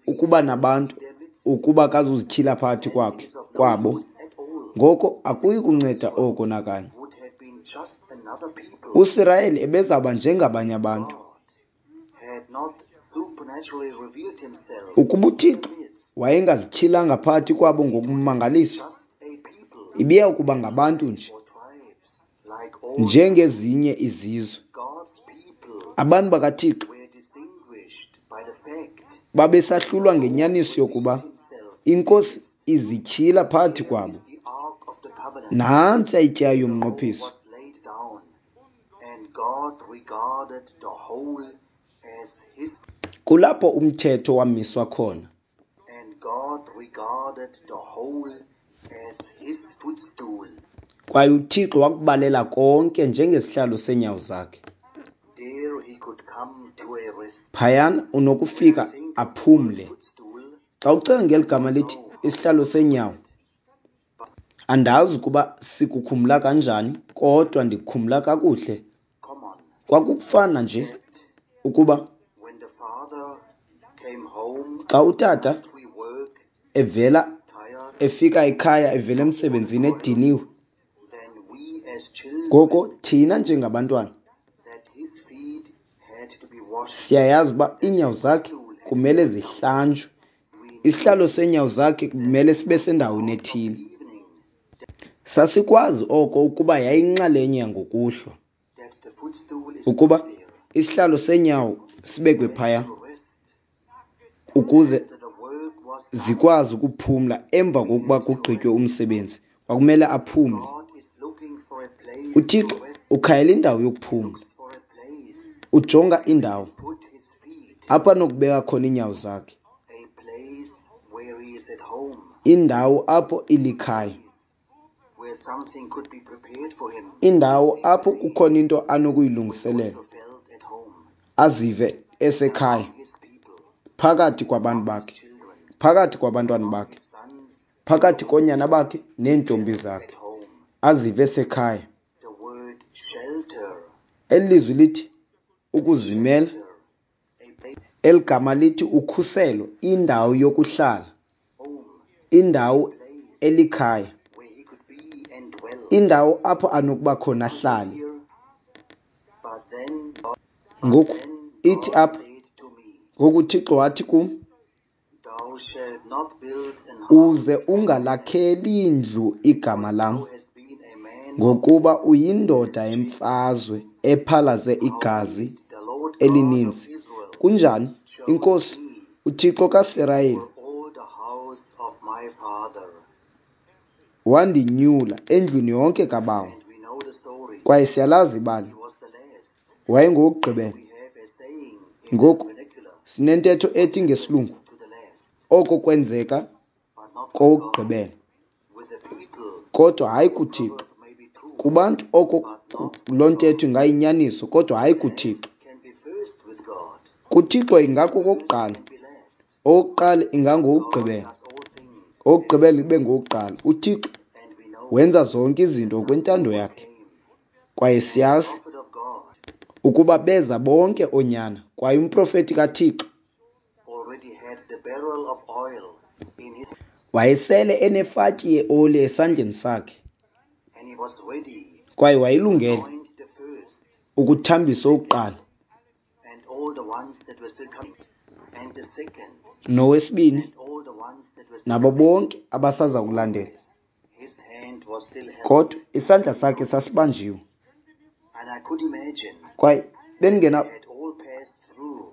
ukuba nabantu ukuba akazuzityhila phakathi kwakhe kwabo? Ngoko akuyi kunceda oko nakanye. USirayeli ebezawuba njengabanye abantu. Ukuba uThixo wayengazityhilanga phakathi kwabo ngokummangaliso, ibiya kuba ngabantu nje, njengezinye izizwe. Abantu bakaThixo babesahlulwa ngenyaniso yokuba iNkosi izityhila phakathi kwabo. Nantsi ityeya yomnqophiso. Kulapho umthetho wamiswa khona. Kwaye uThixo wakubalela konke njengesihlalo seenyawo zakhe. Phayana unokufika aphumle. Xa ucinga ngeli gama lithi isihlalo seenyawo, andazi ukuba sikukhumla kanjani, kodwa ndikukhumla kakuhle. Kwakufana nje ukuba xa utata evela efika ekhaya evela emsebenzini ediniwe, ngoko thina njengabantwana siyayazi uba iinyawo zakhe kumele zihlanjwe. Isihlalo seenyawo zakhe kumele sibe sendaweni ethile. Sasikwazi oko ukuba yayinxalenye yangokuhlwa, ukuba isihlalo seenyawo sibekwe phaya ukuze zikwazi ukuphumla emva kokuba kugqitywe umsebenzi. Kwakumele aphumle. UThixo ukhangela indawo yokuphumla. Ujonga indawo apho anokubeka khona iinyawo zakhe, indawo apho ilikhaya, indawo apho kukhona into anokuyilungiselela, azive esekhaya phakathi kwabantu bakhe, phakathi kwabantwana bakhe, phakathi koonyana bakhe neentombi zakhe, azive esekhaya. Eli lizwi lithi ukuzimela, eli gama lithi ukhuselo, indawo yokuhlala, indawo elikhaya, indawo apho anokuba khona ahlale. Ngoku ithi apha, ngoku uThixo wathi kum, uze ungalakheli indlu igama lam, ngokuba uyindoda yemfazwe ephalaze igazi elininzi. Kunjani? INkosi uThixo kaSirayeli wandinyula endlwini yonke kabawo. Kwaye siyalazi ibali, wayengowokugqibela. Ngoku sinentetho ethi ngesilungu, oko kwenzeka kowokugqibela, kodwa hayi kuThixo. Kubantu oko loo ntetho ingayinyaniso, kodwa hayi kuThixo. KuThixo ingakokokuqala, owokuqala ingangowokugqibela, owokugqibela ibe ngowokuqala. UThixo wenza zonke izinto ngokwentando yakhe. Kwaye siyazi ukuba beza bonke oonyana, kwaye umprofeti kaThixo wayesele enefatyi yeoli esandleni sakhe, kwaye wayelungele ukuthambisa owokuqala nowesibini Nabo bonke abasaza kulandela. Kodwa isandla sakhe sasibanjiwe. Kwaye bendingena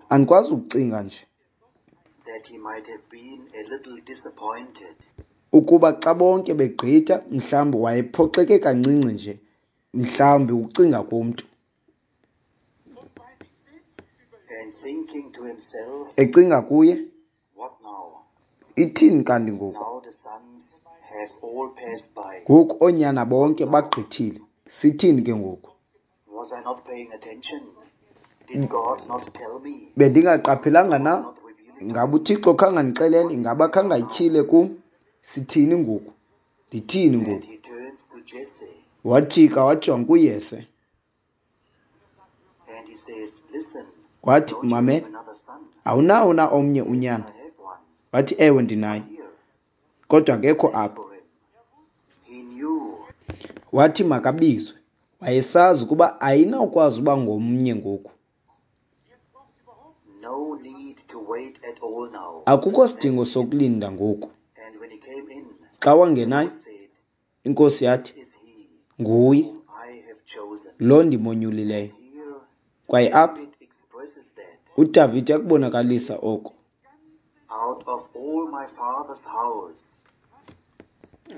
andikwazi ukucinga nje ukuba xa bonke begqitha, mhlawumbi wayephoxeke kancinci nje, mhlawumbi ukucinga komntu. Ecinga kuye, ithini kanti ngoku? Ngoku oonyana bonke bagqithile, sithini ke ngoku? Bendingaqaphelanga na? Ingaba uThixo khange andixelele? Ingaba khange ayityhile kum? Sithini ngoku? Ndithini ngoku? Wajika wajonga kuYese. Wathi, mamela, awunawo na omnye unyana? Wathi, ewe, ndinaye, kodwa akekho apha. Wathi makabizwe. Wayesazi ukuba ayinawukwazi uba ngomnye ngoku. Akukho sidingo sokulinda ngoku. Xa wangenayo, inkosi yathi, nguye lo ndimonyulileyo. Kwaye apha uDavide yakubonakalisa oko.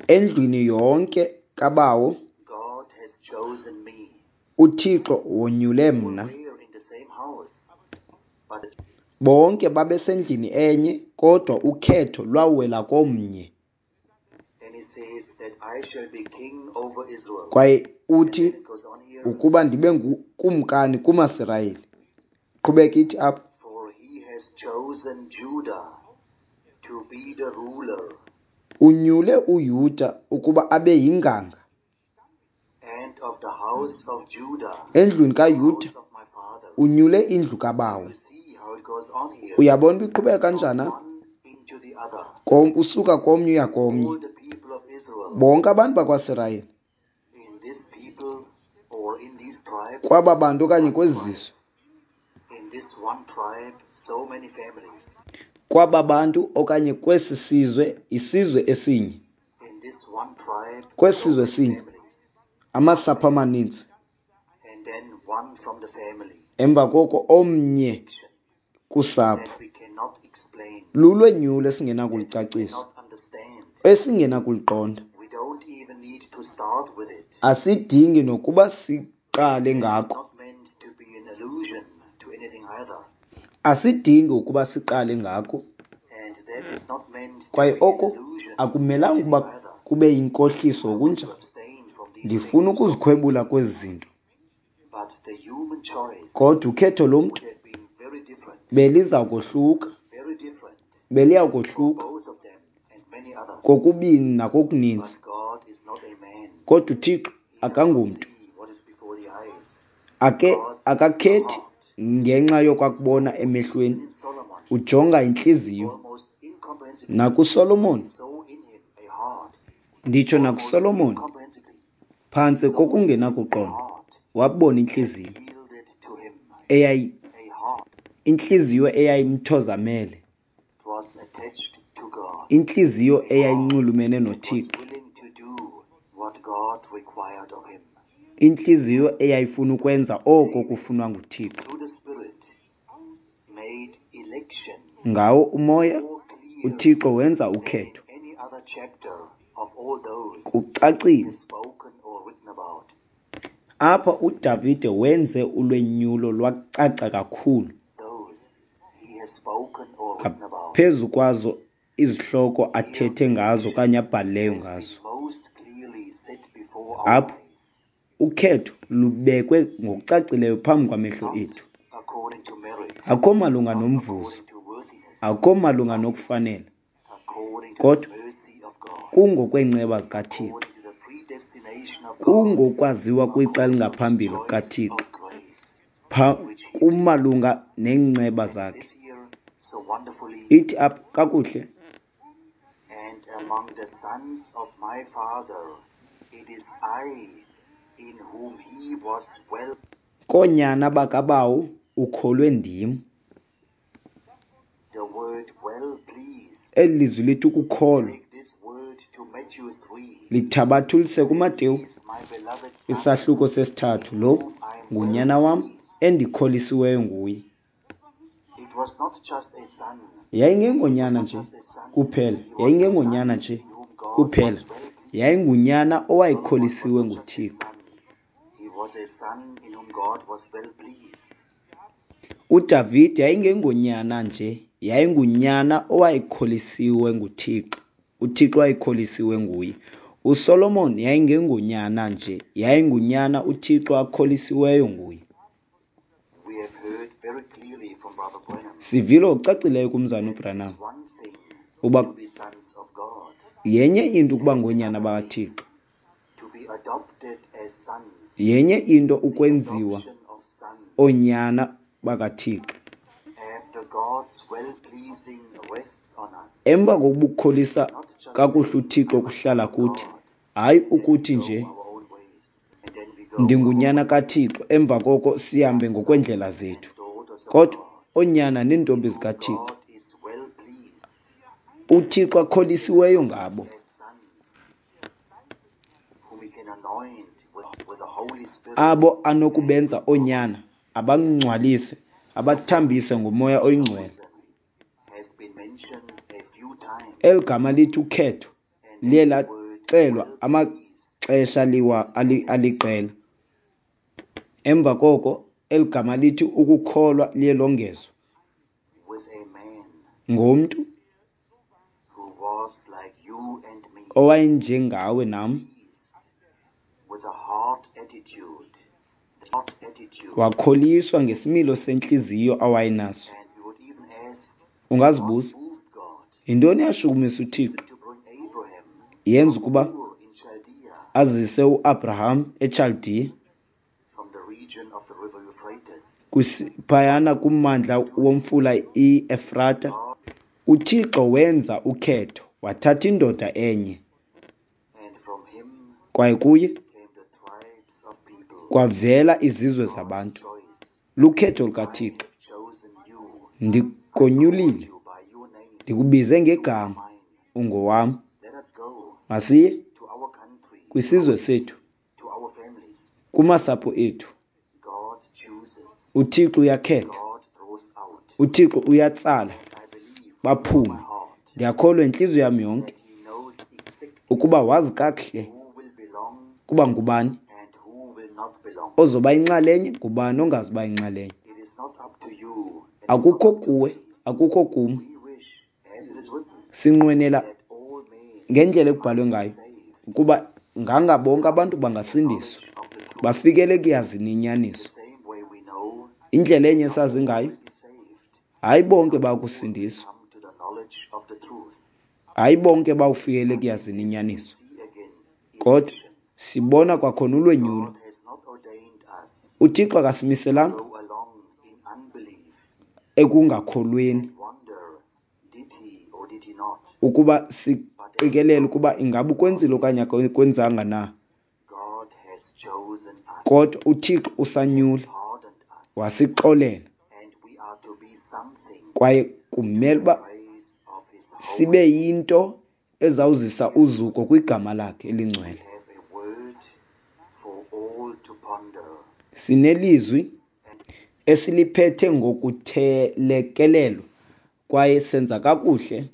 Endlwini yonke kabawo, uThixo wonyule mna. Bonke babesendlini enye, kodwa ukhetho lwawela komnye. Kwaye uthi ukuba ndibe ngukumkani kumaSirayeli. Qhubeka ithi apha. Unyule uYuda ukuba abe yinganga. Endlwini kaYuda unyule indlu kabawo. Uyabona uba iqhubeka kanjani apha? Usuka komnye uya komnye. Bonke abantu bakwaSirayeli, kwaba bantu okanye kwezi zizwe, kwaba bantu okanye kwesi sizwe, isizwe esinye, kwesi sizwe esinye, amasapho amaninzi. Emva koko omnye kusapho. Lulwenyulo esingenakulicacisa, esingenakuliqonda. Asidingi nokuba siqale ngako. Asidingi ukuba siqale ngako. Kwaye oko akumelanga ukuba kube yinkohliso ngokunjalo. Ndifuna ukuzikhwebula kwezi zinto. Kodwa ukhetho lomntu beliza kohluka, beliya kohluka kokubini nakokuninzi. Kodwa uThixo akangomntu, ake akakhethi ngenxa yokwakubona emehlweni, ujonga intliziyo. NakuSolomon, nditsho nakuSolomon, phantse kokungenakuqonda, wabona intliziyo eyayi intliziyo eyayimthozamele, intliziyo eyayinxulumene noThixo, intliziyo eyayifuna ukwenza oko kufunwa nguThixo. Ngawo umoya uThixo wenza ukhetho. Kucacile apha uDavide wenze ulwenyulo lwacaca kakhulu ngaphezu kwazo izihloko athethe ngazo okanye abhalileyo ngazo. Apho ukhetho lubekwe ngokucacileyo phambi kwamehlo ethu. Akho malunga nomvuzo, akho malunga nokufanela, kodwa kungokwenceba zikaThixo, kungokwaziwa kwixa elingaphambili kukaThixo, kumalunga neenceba zakhe. Ithi apha kakuhle, koonyana bakabawo ukholwe ndim. Eli lizwi lithi ukukholwa lithabathulise kuMateyu isahluko sesithathu. Lo ngunyana wam endikholisiweyo nguye. Yayingengonyana nje kuphela, yayingengonyana nje kuphela, yayingunyana owayekholisiwe nguThixo. UDavide yayingengonyana nje, yayingunyana owayekholisiwe nguThixo. UThixo wayekholisiwe nguye. USolomon yayingengonyana nje, yayingunyana uThixo akholisiweyo nguye. Sivile ngokucacileyo kumzana uBranham uba yenye into ukuba ngoonyana bakaThixo, yenye into ukwenziwa oonyana bakaThixo. Emva kokubukholisa kakuhle uThixo kuhlala kuthi, hayi ukuthi nje ndingunyana kaThixo emva koko sihambe ngokweendlela zethu, kodwa oonyana neentombi zikaThixo uThixo akholisiweyo ngabo, abo anokubenza oonyana, abangcwalise, abathambise ngoMoya oyiNgcwele. Eli gama lithi ukhetho liye laxelwa amaxesha aliqela. Emva koko eli gama lithi ukukholwa liye longezwa ngomntu owayenjengawe nam, wakholiswa ngesimilo sentliziyo awayenaso. Ungazibuza, yintoni eyashukumisa uThixo yenza ukuba azise uAbraham eChaldiya phayana kummandla womfula iEfrata? UThixo wenza ukhetho, wathatha indoda enye, kwaye kuye kwavela izizwe zabantu. Lukhetho lukaThixo. Ndikonyulile, ndikubize ngegama, ungowam. Masiye kwisizwe sethu, kumasapho ethu. UThixo uyakhetha, uThixo uyatsala baphume. Ndiyakholwa intliziyo yam yonke ukuba wazi kakuhle kuba ngubani ozoba inxalenye, ngubani ongazuba inxalenye. Akukho kuwe, akukho kum. Sinqwenela ngendlela ekubhalwe ngayo ukuba nganga bonke abantu bangasindiswa, bafikele ekuyazini inyaniso. Indlela enye esazi ngayo, hayi bonke bakusindiswa, hayi bonke bawufikele ekuyazini inyaniso, kodwa sibona kwakhona ulwenyulo. UThixo akasimiselanga ekungakholweni ukuba siqikelele ukuba ingaba ukwenzile okanye akwenzanga na, kodwa uThixo usanyule, wasixolela, kwaye kumele uba sibe yinto ezawuzisa uzuko kwigama lakhe elingcwele. Sinelizwi esiliphethe ngokuthelekelelwa kwaye senza kakuhle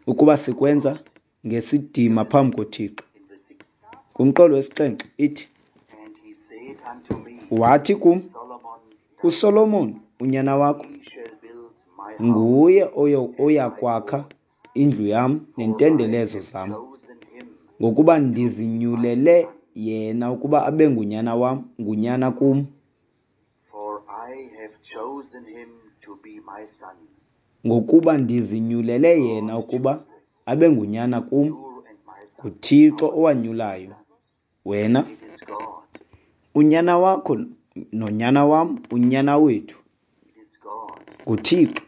ukuba sikwenza ngesidima phambi koThixo. Kumqolo wesixhenxe ithi, wathi kum, uSolomon unyana wakho nguye oya kwakha indlu yam neentendelezo zam, ngokuba ndizinyulele yena ukuba abe ngunyana wam, ngunyana kum. Ngokuba ndizinyulele yena ukuba abe ngunyana kum, nguThixo owanyulayo wena, unyana wakho nonyana wam, unyana wethu. NguThixo.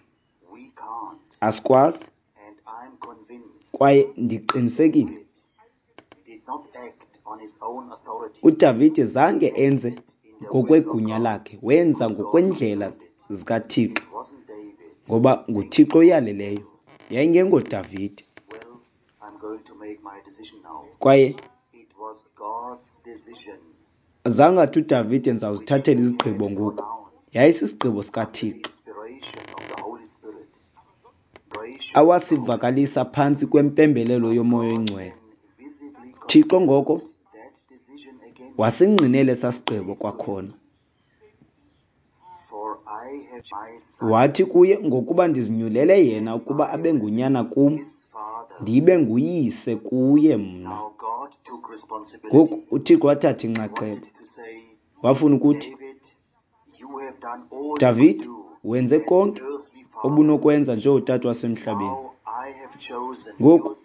Asikwazi, kwaye ndiqinisekile uDavide zange enze ngokwegunya lakhe, wenza ngokwendlela zikaThixo. Ngoba nguThixo oyaleleyo, yayingengoDavide. Kwaye zange athi uDavide ndizawuzithathela izigqibo ngoku. Yayisisigqibo sikaThixo awasivakalisa phantsi kwempembelelo yoMoya oyiNgcwele. Thixo ngoko wasingqinela esaa sigqibo kwakhona. Wathi kuye, ngokuba ndizinyulele yena ukuba abe ngunyana kum, ndibe nguyise kuye mna. Ngoku uThixo wathatha inxaxheba. Wafuna ukuthi, Davide, wenze konke obunokwenza njengotata wasemhlabeni. Ngoku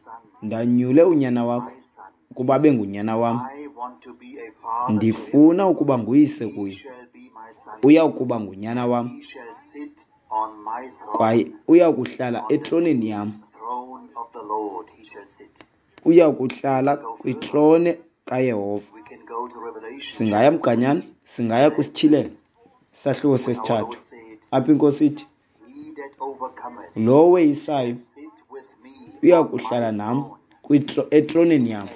ndanyule unyana wakho ukuba abe ngunyana wam. Ndifuna ukuba nguyise kuye. Uya kuba ngunyana wam kwaye uya kuhlala etroneni yam. Uya kuhlala kwitrone kaYehova. Singaya mganyana, singaya kwisityhilelo isahluko sesithathu. Apha iNkosi ithi, lowo weyisayo uya kuhlala nam etroneni yam,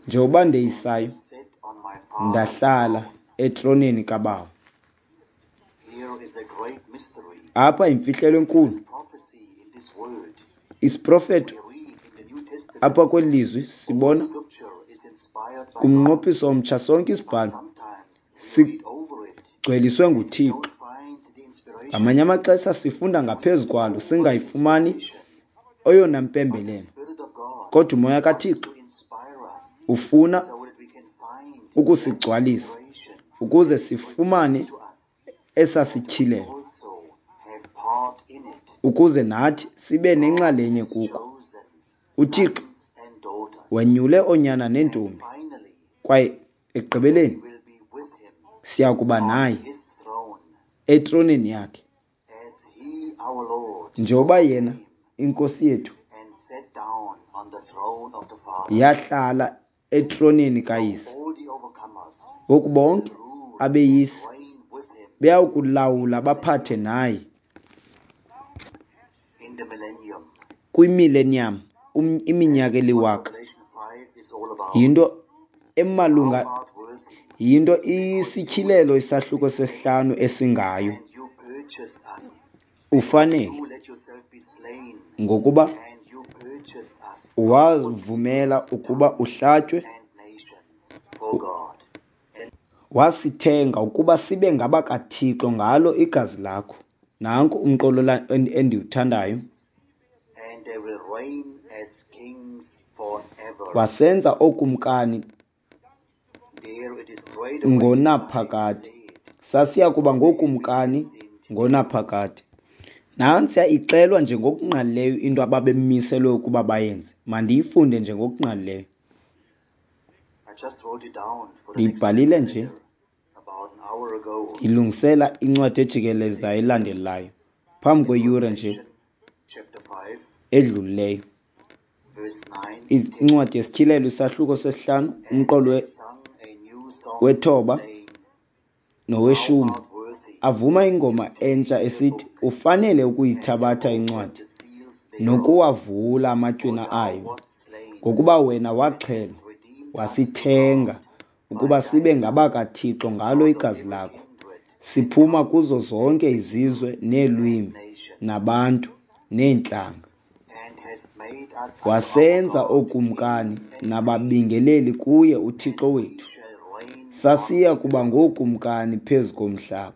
njengoba ndeyisayo ndahlala etroneni kaBawo. Apha yimfihlelo enkulu. Isiprofeto apha kweli lizwi sibona kumnqophiso omtsha sonke isibhalo sigcweliswe nguThixo. Ngamanye amaxesha sifunda ngaphezu kwalo singayifumani eyona mpembelelo, kodwa uMoya kaThixo ufuna ukusigcwalisa ukuze sifumane esasityhilelo, ukuze nathi sibe nenxalenye kuko. UThixo wenyule oonyana neentombi, kwaye ekugqibeleni siya kuba naye etroneni yakhe, njengoba yena iNkosi yethu yahlala etroneni kaYise. Ngoku bonke abeyisi beyakulawula baphathe naye kwimillennium, iminyaka eliwaka. Yinto emalunga, yinto isityhilelo isahluko sesihlanu esingayo. Ufanele, ngokuba wavumela ukuba uhlatywe, wasithenga ukuba sibe ngabakaThixo ngalo igazi lakho. Nanku umqolo endiwuthandayo. Wasenza ookumkani ngonaphakade. Sasiya kuba ngookumkani ngonaphakade. Nantsiya ixelwa nje ngokungqalileyo into ababemiselwe ukuba bayenze. Mandiyifunde nje ngokungqalileyo. Ndiyibhalile nje ilungisela incwadi ejikelezayo elandelayo phambi kweyure nje edlulileyo. Incwadi yesityhilelo isahluko sesihlanu umqolo wethoba noweshumi. Avuma ingoma entsha esithi, ufanele ukuyithabatha incwadi nokuwavula amatywina ayo, ngokuba wena waxhelwa wasithenga ukuba sibe ngabakaThixo ngalo igazi lakho, siphuma kuzo zonke izizwe neelwimi nabantu neentlanga. Wasenza ookumkani nababingeleli kuye uThixo wethu. Sasiya kuba ngookumkani phezu komhlaba.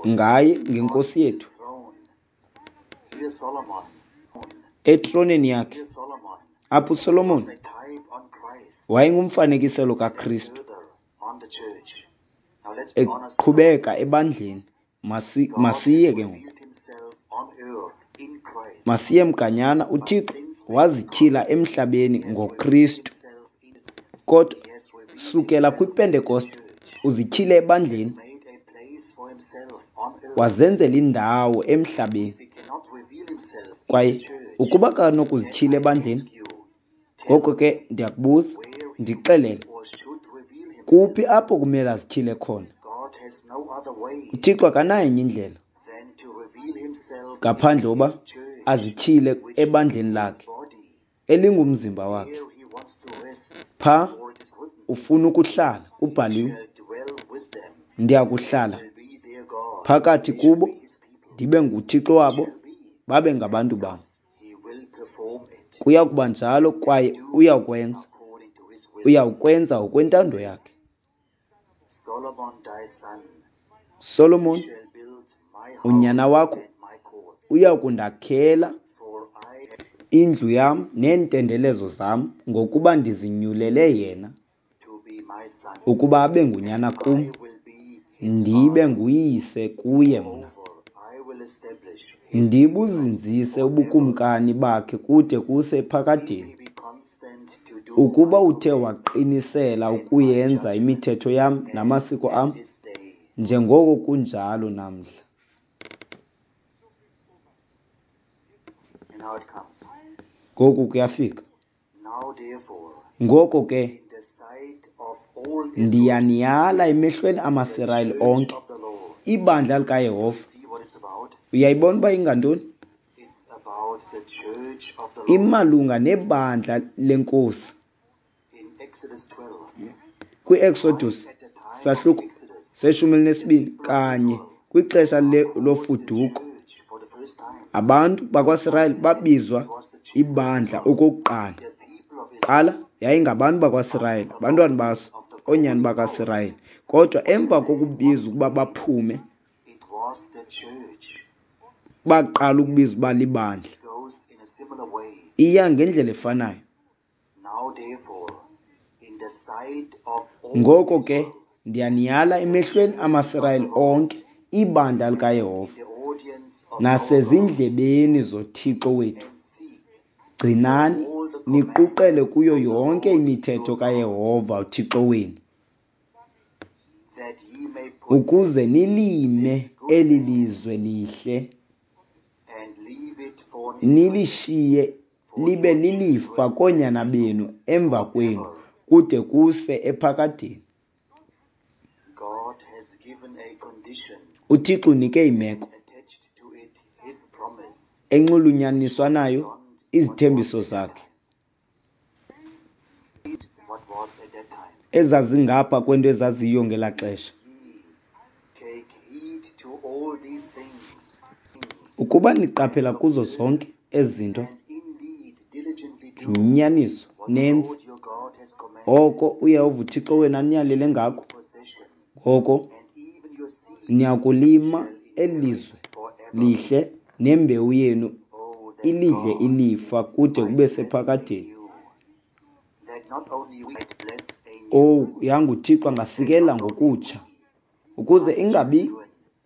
Ngaye, ngeNkosi yethu, etroneni yakhe. Apho uSolomon wayengumfanekiselo kaKristu eqhubeka ebandleni. Masiye ke ngoku, masiye mganyana. UThixo wazityhila emhlabeni ngoKristu, kodwa sukela kwiPentekoste uzityhile ebandleni, wazenzela indawo emhlabeni. Kwaye ukuba kanokuzityhila ebandleni, ngoko ke ndiyakubuza, ndixelele, kuphi apho kumele azityhile khona? UThixo akanayo enye indlela ngaphandle uba azityhile ebandleni lakhe elingumzimba wakhe. Pha ufuna ukuhlala, kubhaliwe, ndiyakuhlala phakathi kubo, ndibe nguThixo wabo, babe ngabantu bam. Kuya kuba njalo kwaye uyakwenza. Uyawukwenza ngokwentando yakhe. Solomon, unyana wakho uya kundakhela indlu yam neentendelezo zam, ngokuba ndizinyulele yena ukuba abe ngunyana kum, ndibe nguyise kuye mna. Ndibuzinzise ubukumkani bakhe kude kuse ephakadeni. Ukuba uthe waqinisela ukuyenza imithetho yam namasiko am, njengoko kunjalo namhla. Ngoku kuyafika. Ngoko ke ndiyaniyala emehlweni amaSirayeli onke, ibandla likaYehova. Uyayibona uba ingantoni? Imalunga nebandla lenkosi. Kwi-Exodus sahluko seshumi elinesibini kanye kwixesha lofuduko, abantu bakwaSirayeli babizwa ibandla okokuqala. Qala yayingabantu bakwaSirayeli, abantwana bas oonyana bakaSirayeli. Kodwa emva kokubizwa ukuba baphume, baqala ukubizwa uba libandla. Iya ngendlela efanayo. Ngoko ke ndiyaniyala emehlweni amaSirayeli onke, ibandla likaYehova, nasezindlebeni zoThixo wethu, gcinani niquqele kuyo yonke imithetho kaYehova uThixo wenu, ukuze nilime eli lizwe lihle, nilishiye libe lilifa koonyana benu emva kwenu kude kuse ephakadeni. UThixo unike imeko enxulunyaniswa nayo izithembiso zakhe ezazingapha kwento ezaziyo ngelaa xesha. Ukuba niqaphela kuzo zonke ezi zinto ngenyaniso nenze oko uYehova uThixo wenu aniyalele ngako, ngoko niyakulima eli lizwe lihle nembewu yenu ilidle ilifa kude kube sephakadeni. Owu, yanguThixo angasikelela ngokutsha, ukuze ingabi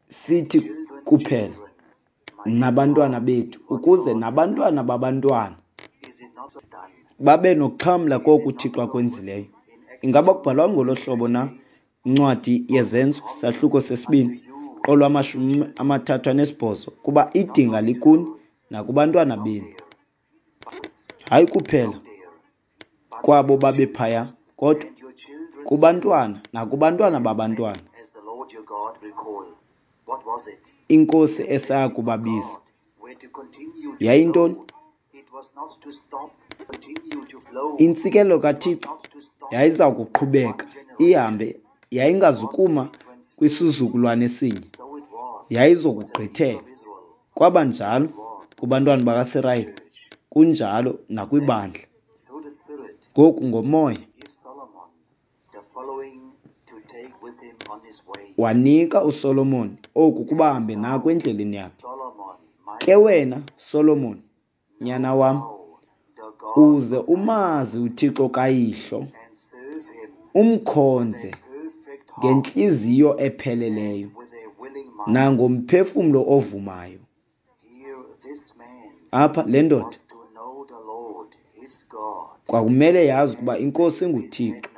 sithi kuphela nabantwana bethu, ukuze nabantwana babantwana babe nokuxhamla koku uThixo akwenzileyo. Ingaba kubhalwa ngolo hlobo na incwadi yeZenzo sahluko sesibini qolo amashumi amathathu anesibhozo, kuba idinga likuni nakubantwana benu, hayi kuphela kwabo babephaya, kodwa kubantwana nakubantwana babantwana iNkosi esaya kubabiza. Yayintoni? Intsikelelo kaThixo yayiza kuqhubeka ihambe, yayingazukuma kwisizukulwane esinye, yayizokugqithela. Kwaba njalo kubantwana bakaSirayeli, kunjalo nakwibandla. Ngoku ngomoya wanika uSolomon oku kuba ahambe nako endleleni yakhe. Ke wena, Solomon, nyana wam, uze umazi uThixo kayihlo, umkhonze ngentliziyo epheleleyo nangomphefumlo ovumayo. Apha le ndoda kwakumele yazi ukuba iNkosi nguThixo,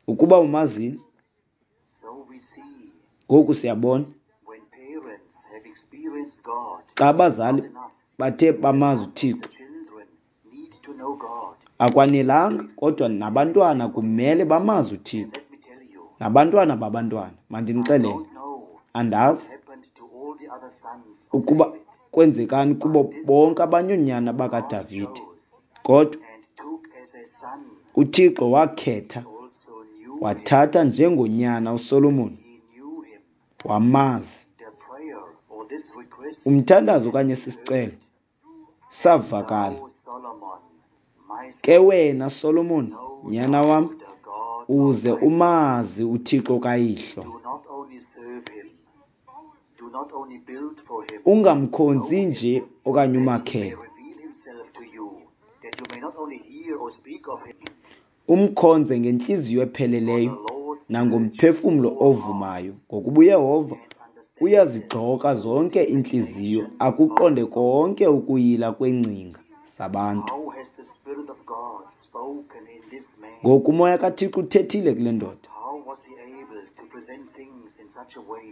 ukuba umazile. Ngoku siyabona xa abazali bathe bamazi uThixo, akwanelanga, kodwa nabantwana kumele bamazi uThixo, nabantwana babantwana. Mandinixelele, Andazi ukuba kwenzekani kubo bonke abanye oonyana bakaDavide, kodwa uThixo wakhetha, wathatha njengonyana uSolomon, wamazi. Umthandazo okanye sisicelo savakala. Ke wena Solomon, nyana wam, uze umazi uThixo kayihlo. Ungamkhonzi nje okanye umakhele. Umkhonze ngentliziyo epheleleyo nangomphefumlo ovumayo, ngokuba uYehova uyazigxoka zonke iintliziyo, akuqonde konke ukuyila kweengcinga zabantu. Ngoku uMoya kaThixo uthethile kule ndoda.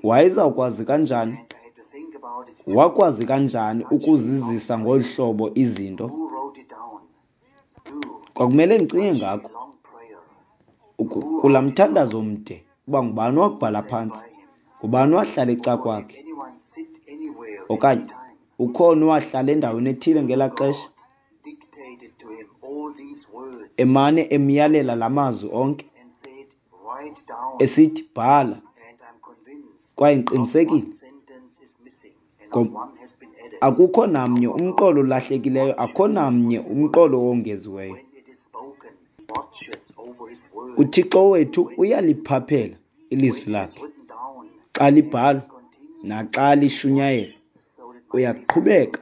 Wayezawukwazi kanjani? Wakwazi kanjani ukuzizisa ngolu hlobo izinto? Kwakumele ndicinge ngako kulaa mthandazo mde, uba ngubani owakubhala phantsi, ngubani owahlala ecakwakhe, okanye ukhona owahlala endaweni ethile ngelaa xesha, emane emyalela la mazwi onke esithi bhala, kwaye ndiqinisekile akukho namnye umqolo olahlekileyo, akukho namnye umqolo owongeziweyo. UThixo wethu uyaliphaphela ilizwi lakhe. Xa libhalwa naxa lishunyayelwa, uyaqhubeka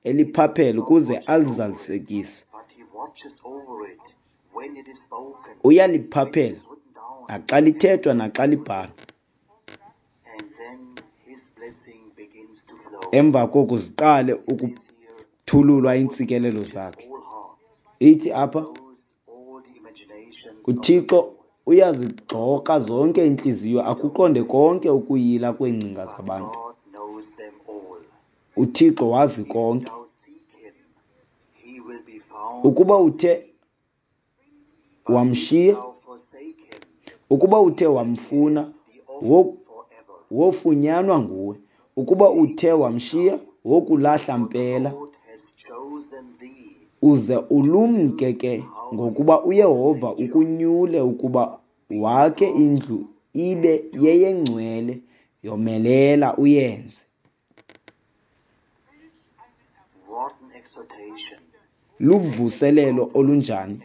eliphaphela ukuze alizalisekise. Uyaliphaphela naxa lithethwa naxa libhalwa. Emva koko ziqale ukuthululwa iintsikelelo zakhe. Ithi apha, uThixo uyazigxoka zonke iintliziyo, akuqonde konke ukuyila kweengcinga zabantu. UThixo wazi konke. Ukuba uthe wamshiya, ukuba uthe wamfuna, wofunyanwa nguwe. Ukuba uthe wamshiya, wokulahla mpela. Uze ulumke ke, ngokuba uYehova ukunyule ukuba wakhe indlu ibe yeyengcwele, yomelela uyenze. Luvuselelo olunjani?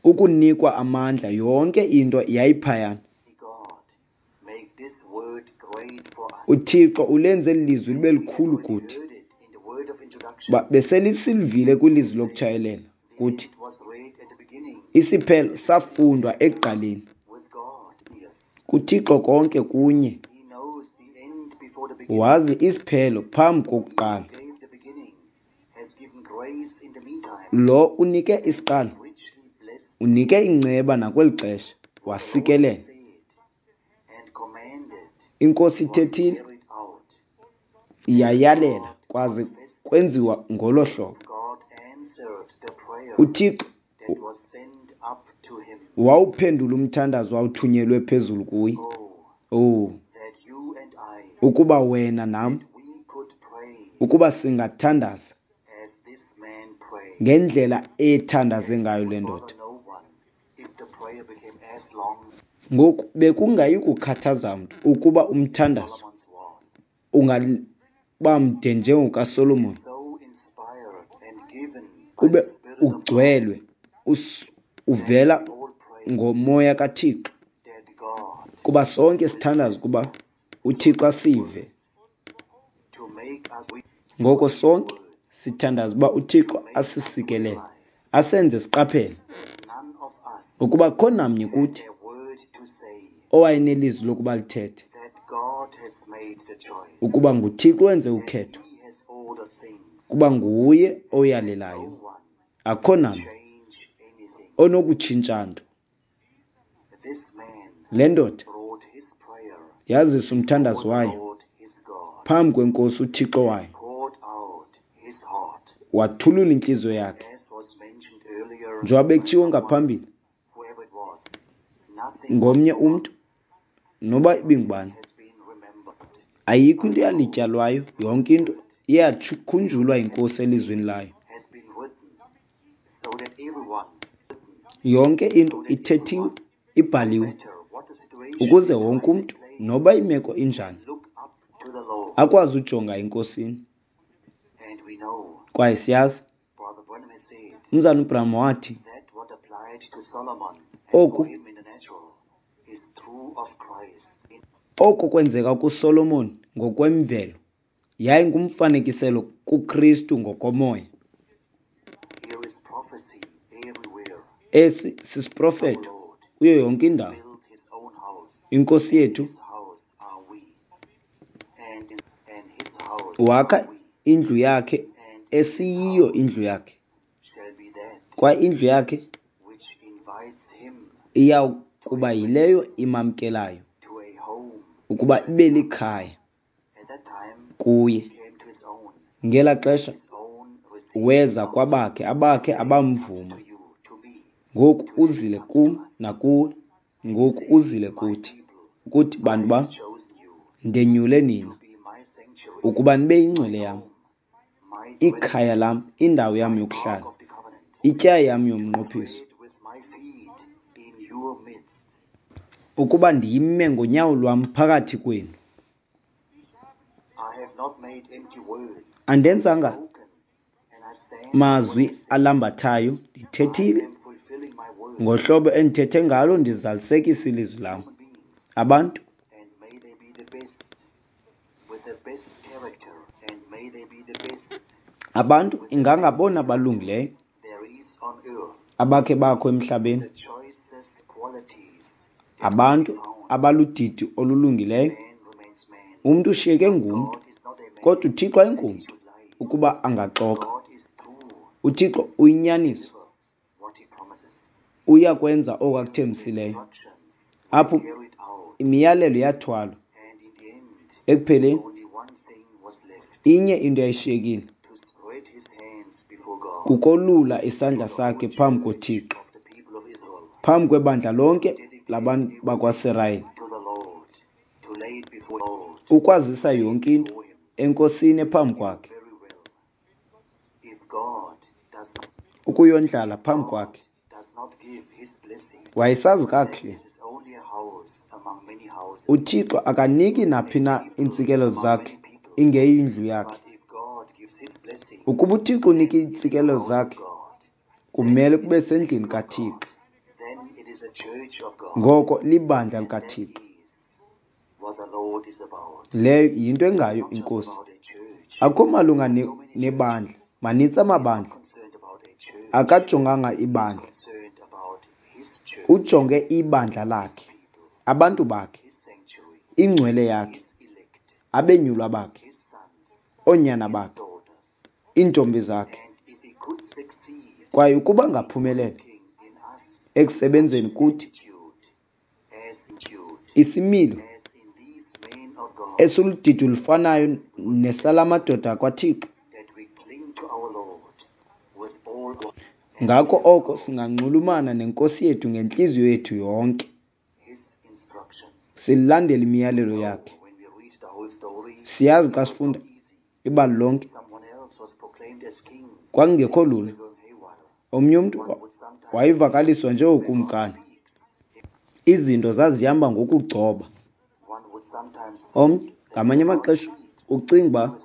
Ukunikwa amandla, yonke into yayiphayana. UThixo ulenze eli lizwi libe likhulu kuthi. Beselisilivile kwilizwi lokutshayelela kuthi isiphelo safundwa ekuqaleni. KuThixo konke kunye. Wazi isiphelo phambi kokuqala. Lo unike isiqalo, unike inceba nakweli xesha, wasikelela. INkosi ithethile, iyayalela kwaze kwenziwa ngolo hlobo. UThixo wawuphendula umthandazo awuthunyelwe phezulu kuye. Oh, ukuba wena nam, ukuba singathandaza ngendlela ethandaze ngayo le ndoda. Ngoku bekungayi kukhathaza mntu ukuba umthandazo ungaba mde njengokaSolomon, ube ugcwelwe uvela ngomoya kaThixo, kuba sonke sithandaza ukuba uThixo asive. Ngoko sonke sithandaza uba uThixo asisikelele, asenze siqaphele ukuba akukho namnye kuthi owayenelizwi lokuba lithethe, ukuba nguThixo wenze ukhetho, kuba nguye oyalelayo. Akukho namnye onokutshintsha nto. Le ndoda yazisa umthandazo wayo phambi kweNkosi uThixo wayo, wathulula intliziyo yakhe. Njengoba bekutshiwo ngaphambili ngomnye umntu, noba ibingubani. Ayikho into eyalityalwayo, yonke into iyakhunjulwa yiNkosi elizwini layo. Yonke into ithethiwe, ibhaliwe, ukuze wonke umntu, noba imeko injani, akwazi ujonga eNkosini. Kwaye siyazi, uMzalwana uBranham wathi, oku oko kwenzeka kuSolomon ngokwemvelo yayingumfanekiselo kuKristu ngokomoya. Esi sisiprofeto kuyo yonke indawo. INkosi yethu wakha indlu yakhe esiyiyo indlu yakhe, kwaye indlu yakhe iya kuba yileyo imamkelayo ukuba ibe likhaya kuye. Ngela xesha weza kwabakhe, abakhe abamvuma. Ngoku uzile kum nakuwe, ngoku uzile kuthi, ukuthi bantu bam, ndenyule nina ukuba nibe yingcwele yam, ikhaya lam, indawo yam yokuhlala, ityayi yam yomnqophiso, ukuba ndime ngonyawo lwam phakathi kwenu. Andenzanga mazwi alambathayo, ndithethile ngohlobo endithethe ngalo, ndizalisekisa ilizwi lam. Abantu abantu ingangabona balungileyo abakhe bakho emhlabeni, abantu abaludidi olulungileyo. Umntu ushiyeke ngumntu, kodwa uThixo ayingumntu ukuba angaxoka. UThixo uyinyaniso, uyakwenza oko akuthembisileyo. Apho imiyalelo yathwalwa, ekupheleni inye into eyayishiyekile, kukolula isandla sakhe phambi koThixo, phambi kwebandla lonke labantu bakwaSirayeli, ukwazisa yonke into eNkosini ephambi kwakhe, ukuyondlala phambi kwakhe. Wayesazi kakuhle uThixo akaniki naphi na iintsikelelo zakhe ingeyindlu yakhe. Ukuba uThixo unika iintsikelelo zakhe, kumele kube sendlini kaThixo. Ngoko libandla likaThixo. Leyo yinto engayo iNkosi. Akukho malunga nebandla, manintsi amabandla. Akajonganga ibandla, ujonge ibandla lakhe, abantu bakhe, ingcwele yakhe, abenyulwa bakhe, oonyana bakhe, iintombi zakhe. Kwaye ukuba ngaphumelela ekusebenzeni kuthi isimilo esiludidi olufanayo nesalamadoda kwaThixo, ngako oko singanxulumana neNkosi yethu ngentliziyo yethu yonke, silandele imiyalelo yakhe. Siyazi xa sifunda ibali lonke, kwakungekho lula. Omnye umntu wayevakaliswa njengokumkani, izinto zazihamba ngokugcoba. Omnye ngamanye amaxesha ucinga uba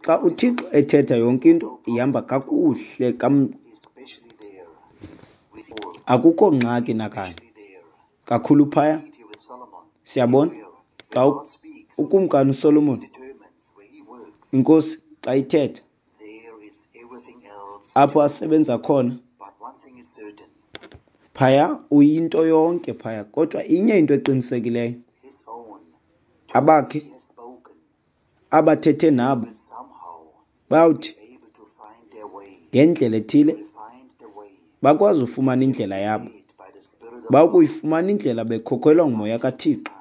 xa uThixo ethetha yonke into ihamba kakuhle, kam akukho ngxaki nakanye kakhulu phaya. Siyabona xa ukumkani uSolomon, iNkosi xa ithetha apho asebenza khona phaya, uyinto yonke phaya. Kodwa inye into eqinisekileyo, abakhe abathethe nabo bayawuthi ngendlela ethile bakwazi ufumana indlela yabo, bakuyifumana indlela bekhokhelwa ngumoya kaThixo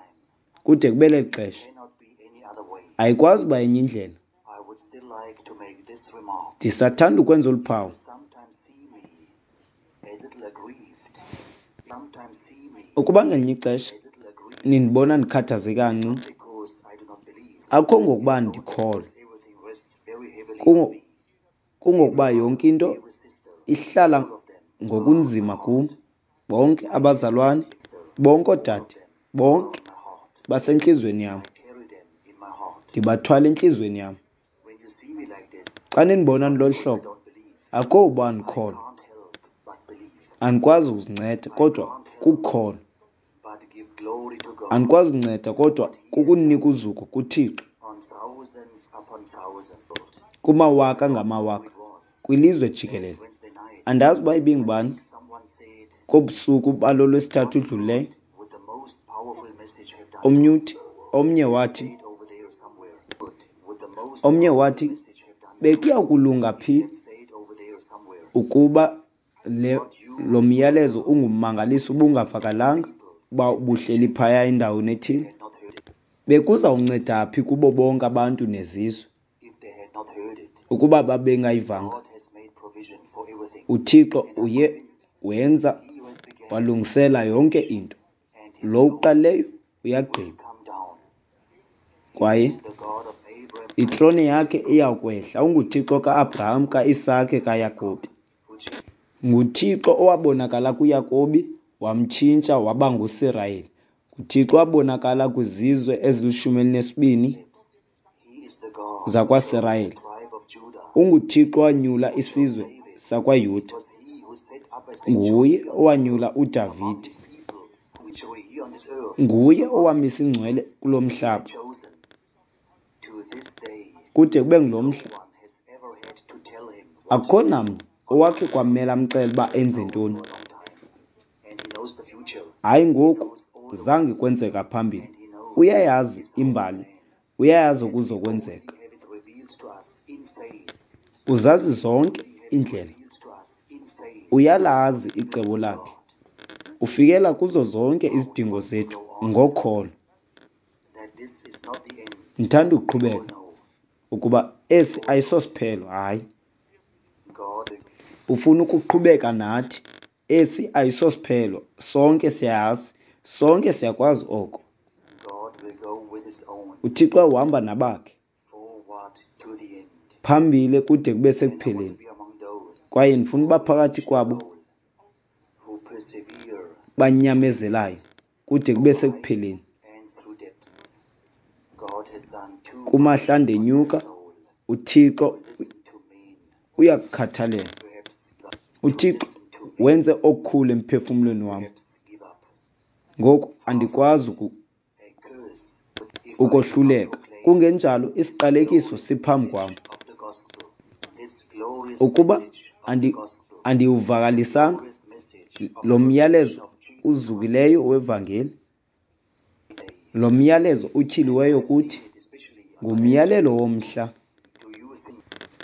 kude kube leli xesha. Ayikwazi uba enye indlela. Ndisathanda ukwenza olu phawu. Ukuba ngelinye ixesha Nindibona ndikhathazeke kancinci, akukho ngokuba ndikholwa, kungokuba yonke into ihlala ngokunzima kum. Bonke abazalwane, bonke oodade, bonke basentliziyweni yam. Ndibathwala entliziyweni yam. Xa nindibona ndilolu hlobo, akukho uba andikholwa, andikwazi ukuzinceda kodwa kukukholwa. Andikwazi kunceda kodwa kukunika uzuko kuThixo. Kumawaka ngamawaka kwilizwe jikelele. Andazi uba ibingubani kobusuku balo lwesithathu udlulileyo. Omnye uthi, omnye wathi, omnye wathi bekuya kulunga phi ukuba le lo myalezo ungummangaliso ubungavakalanga uba ubuhleli phaya endaweni ethile? Bekuzawunceda phi kubo bonke abantu nezizwe ukuba babengayivanga? UThixo uye wenza walungisela yonke into. Lo uqalileyo uyagqiba. Kwaye itrone yakhe iyakwehla. UnguThixo ka-Abraham, ka-Isake, kaYakobi. NguThixo owabonakala kuYakobi wamtshintsha waba nguSirayeli. NguThixo owabonakala kwizizwe ezilishumi elinesibini zakwaSirayeli. UnguThixo owanyula isizwe sakwaYuda. Nguye owanyula uDavide. Nguye owamisa ingcwele kulo mhlaba. Kude kube ngulo mhla, akukho namnye owakhe kwamela amxele uba enze ntoni. Hayi ngoku, zange kwenzeka phambili. Uyayazi imbali, uyayazi okuzokwenzeka. Uzazi zonke iindlela. Uyalazi icebo lakhe. Ufikela kuzo zonke izidingo zethu ngokholo. Ndithanda ukuqhubeka ukuba esi ayisosiphelo, hayi. Ufuna ukuqhubeka nathi. Esi ayisosiphelo, sonke siyayazi, sonke siyakwazi oko. UThixo uhamba nabakhe phambili kude kube sekupheleni. Kwaye ndifuna uba phakathi kwabo banyamezelayo kude kube sekupheleni. Kumahla ndenyuka, uThixo uyakukhathalela. UThixo wenze okukhulu emphefumlweni wam. Ngoku andikwazi ukohluleka. Kungenjalo isiqalekiso siphambi kwam. Ukuba andi andiwuvakalisanga lo myalezo uzukileyo wevangeli, lo myalezo utyhiliweyo kuthi ngumyalelo womhla.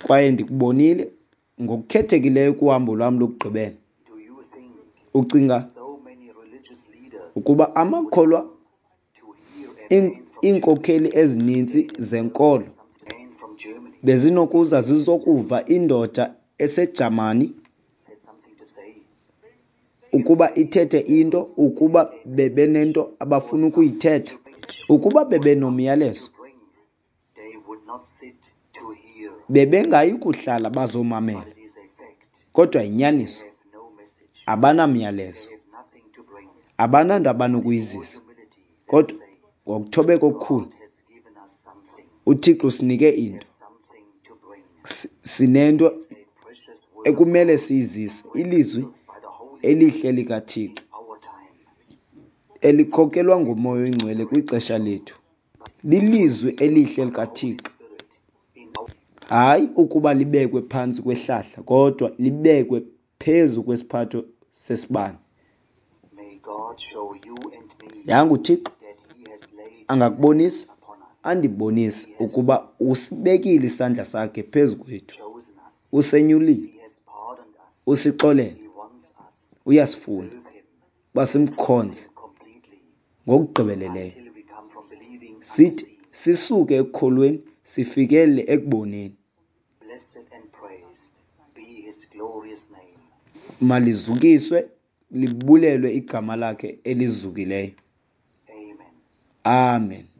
Kwaye ndikubonile ngokukhethekileyo kuhambo lwam lokugqibela. Ucinga ukuba amakholwa, iinkokheli ezininzi zenkolo bezinokuza zizokuva indoda eseJamani ukuba ithethe into, ukuba bebenento abafuna ukuyithetha, ukuba bebenomyalezo, bebengayi kuhlala bazomamela. Kodwa yinyaniso, abanamyalezo, abananto abanokuyizisa. Kodwa ngokuthobeka okukhulu, uThixo usinike into, sinento ekumele siyizise, ilizwi elihle likaThixo elikhokelwa nguMoya oyiNgcwele kwixesha lethu. Lilizwi elihle likaThixo, hayi ukuba libekwe phantsi kwehlahla, kodwa libekwe phezu kwesiphatho sesibane. Yanga uThixo angakubonisa, andibonise ukuba usibekile isandla sakhe phezu kwethu, usenyulile, usixolele, uyasifuna uba simkhonze ngokugqibeleleyo, sithi sisuke ekukholweni sifikele ekuboneni. Malizukiswe libulelwe igama lakhe elizukileyo. Amen.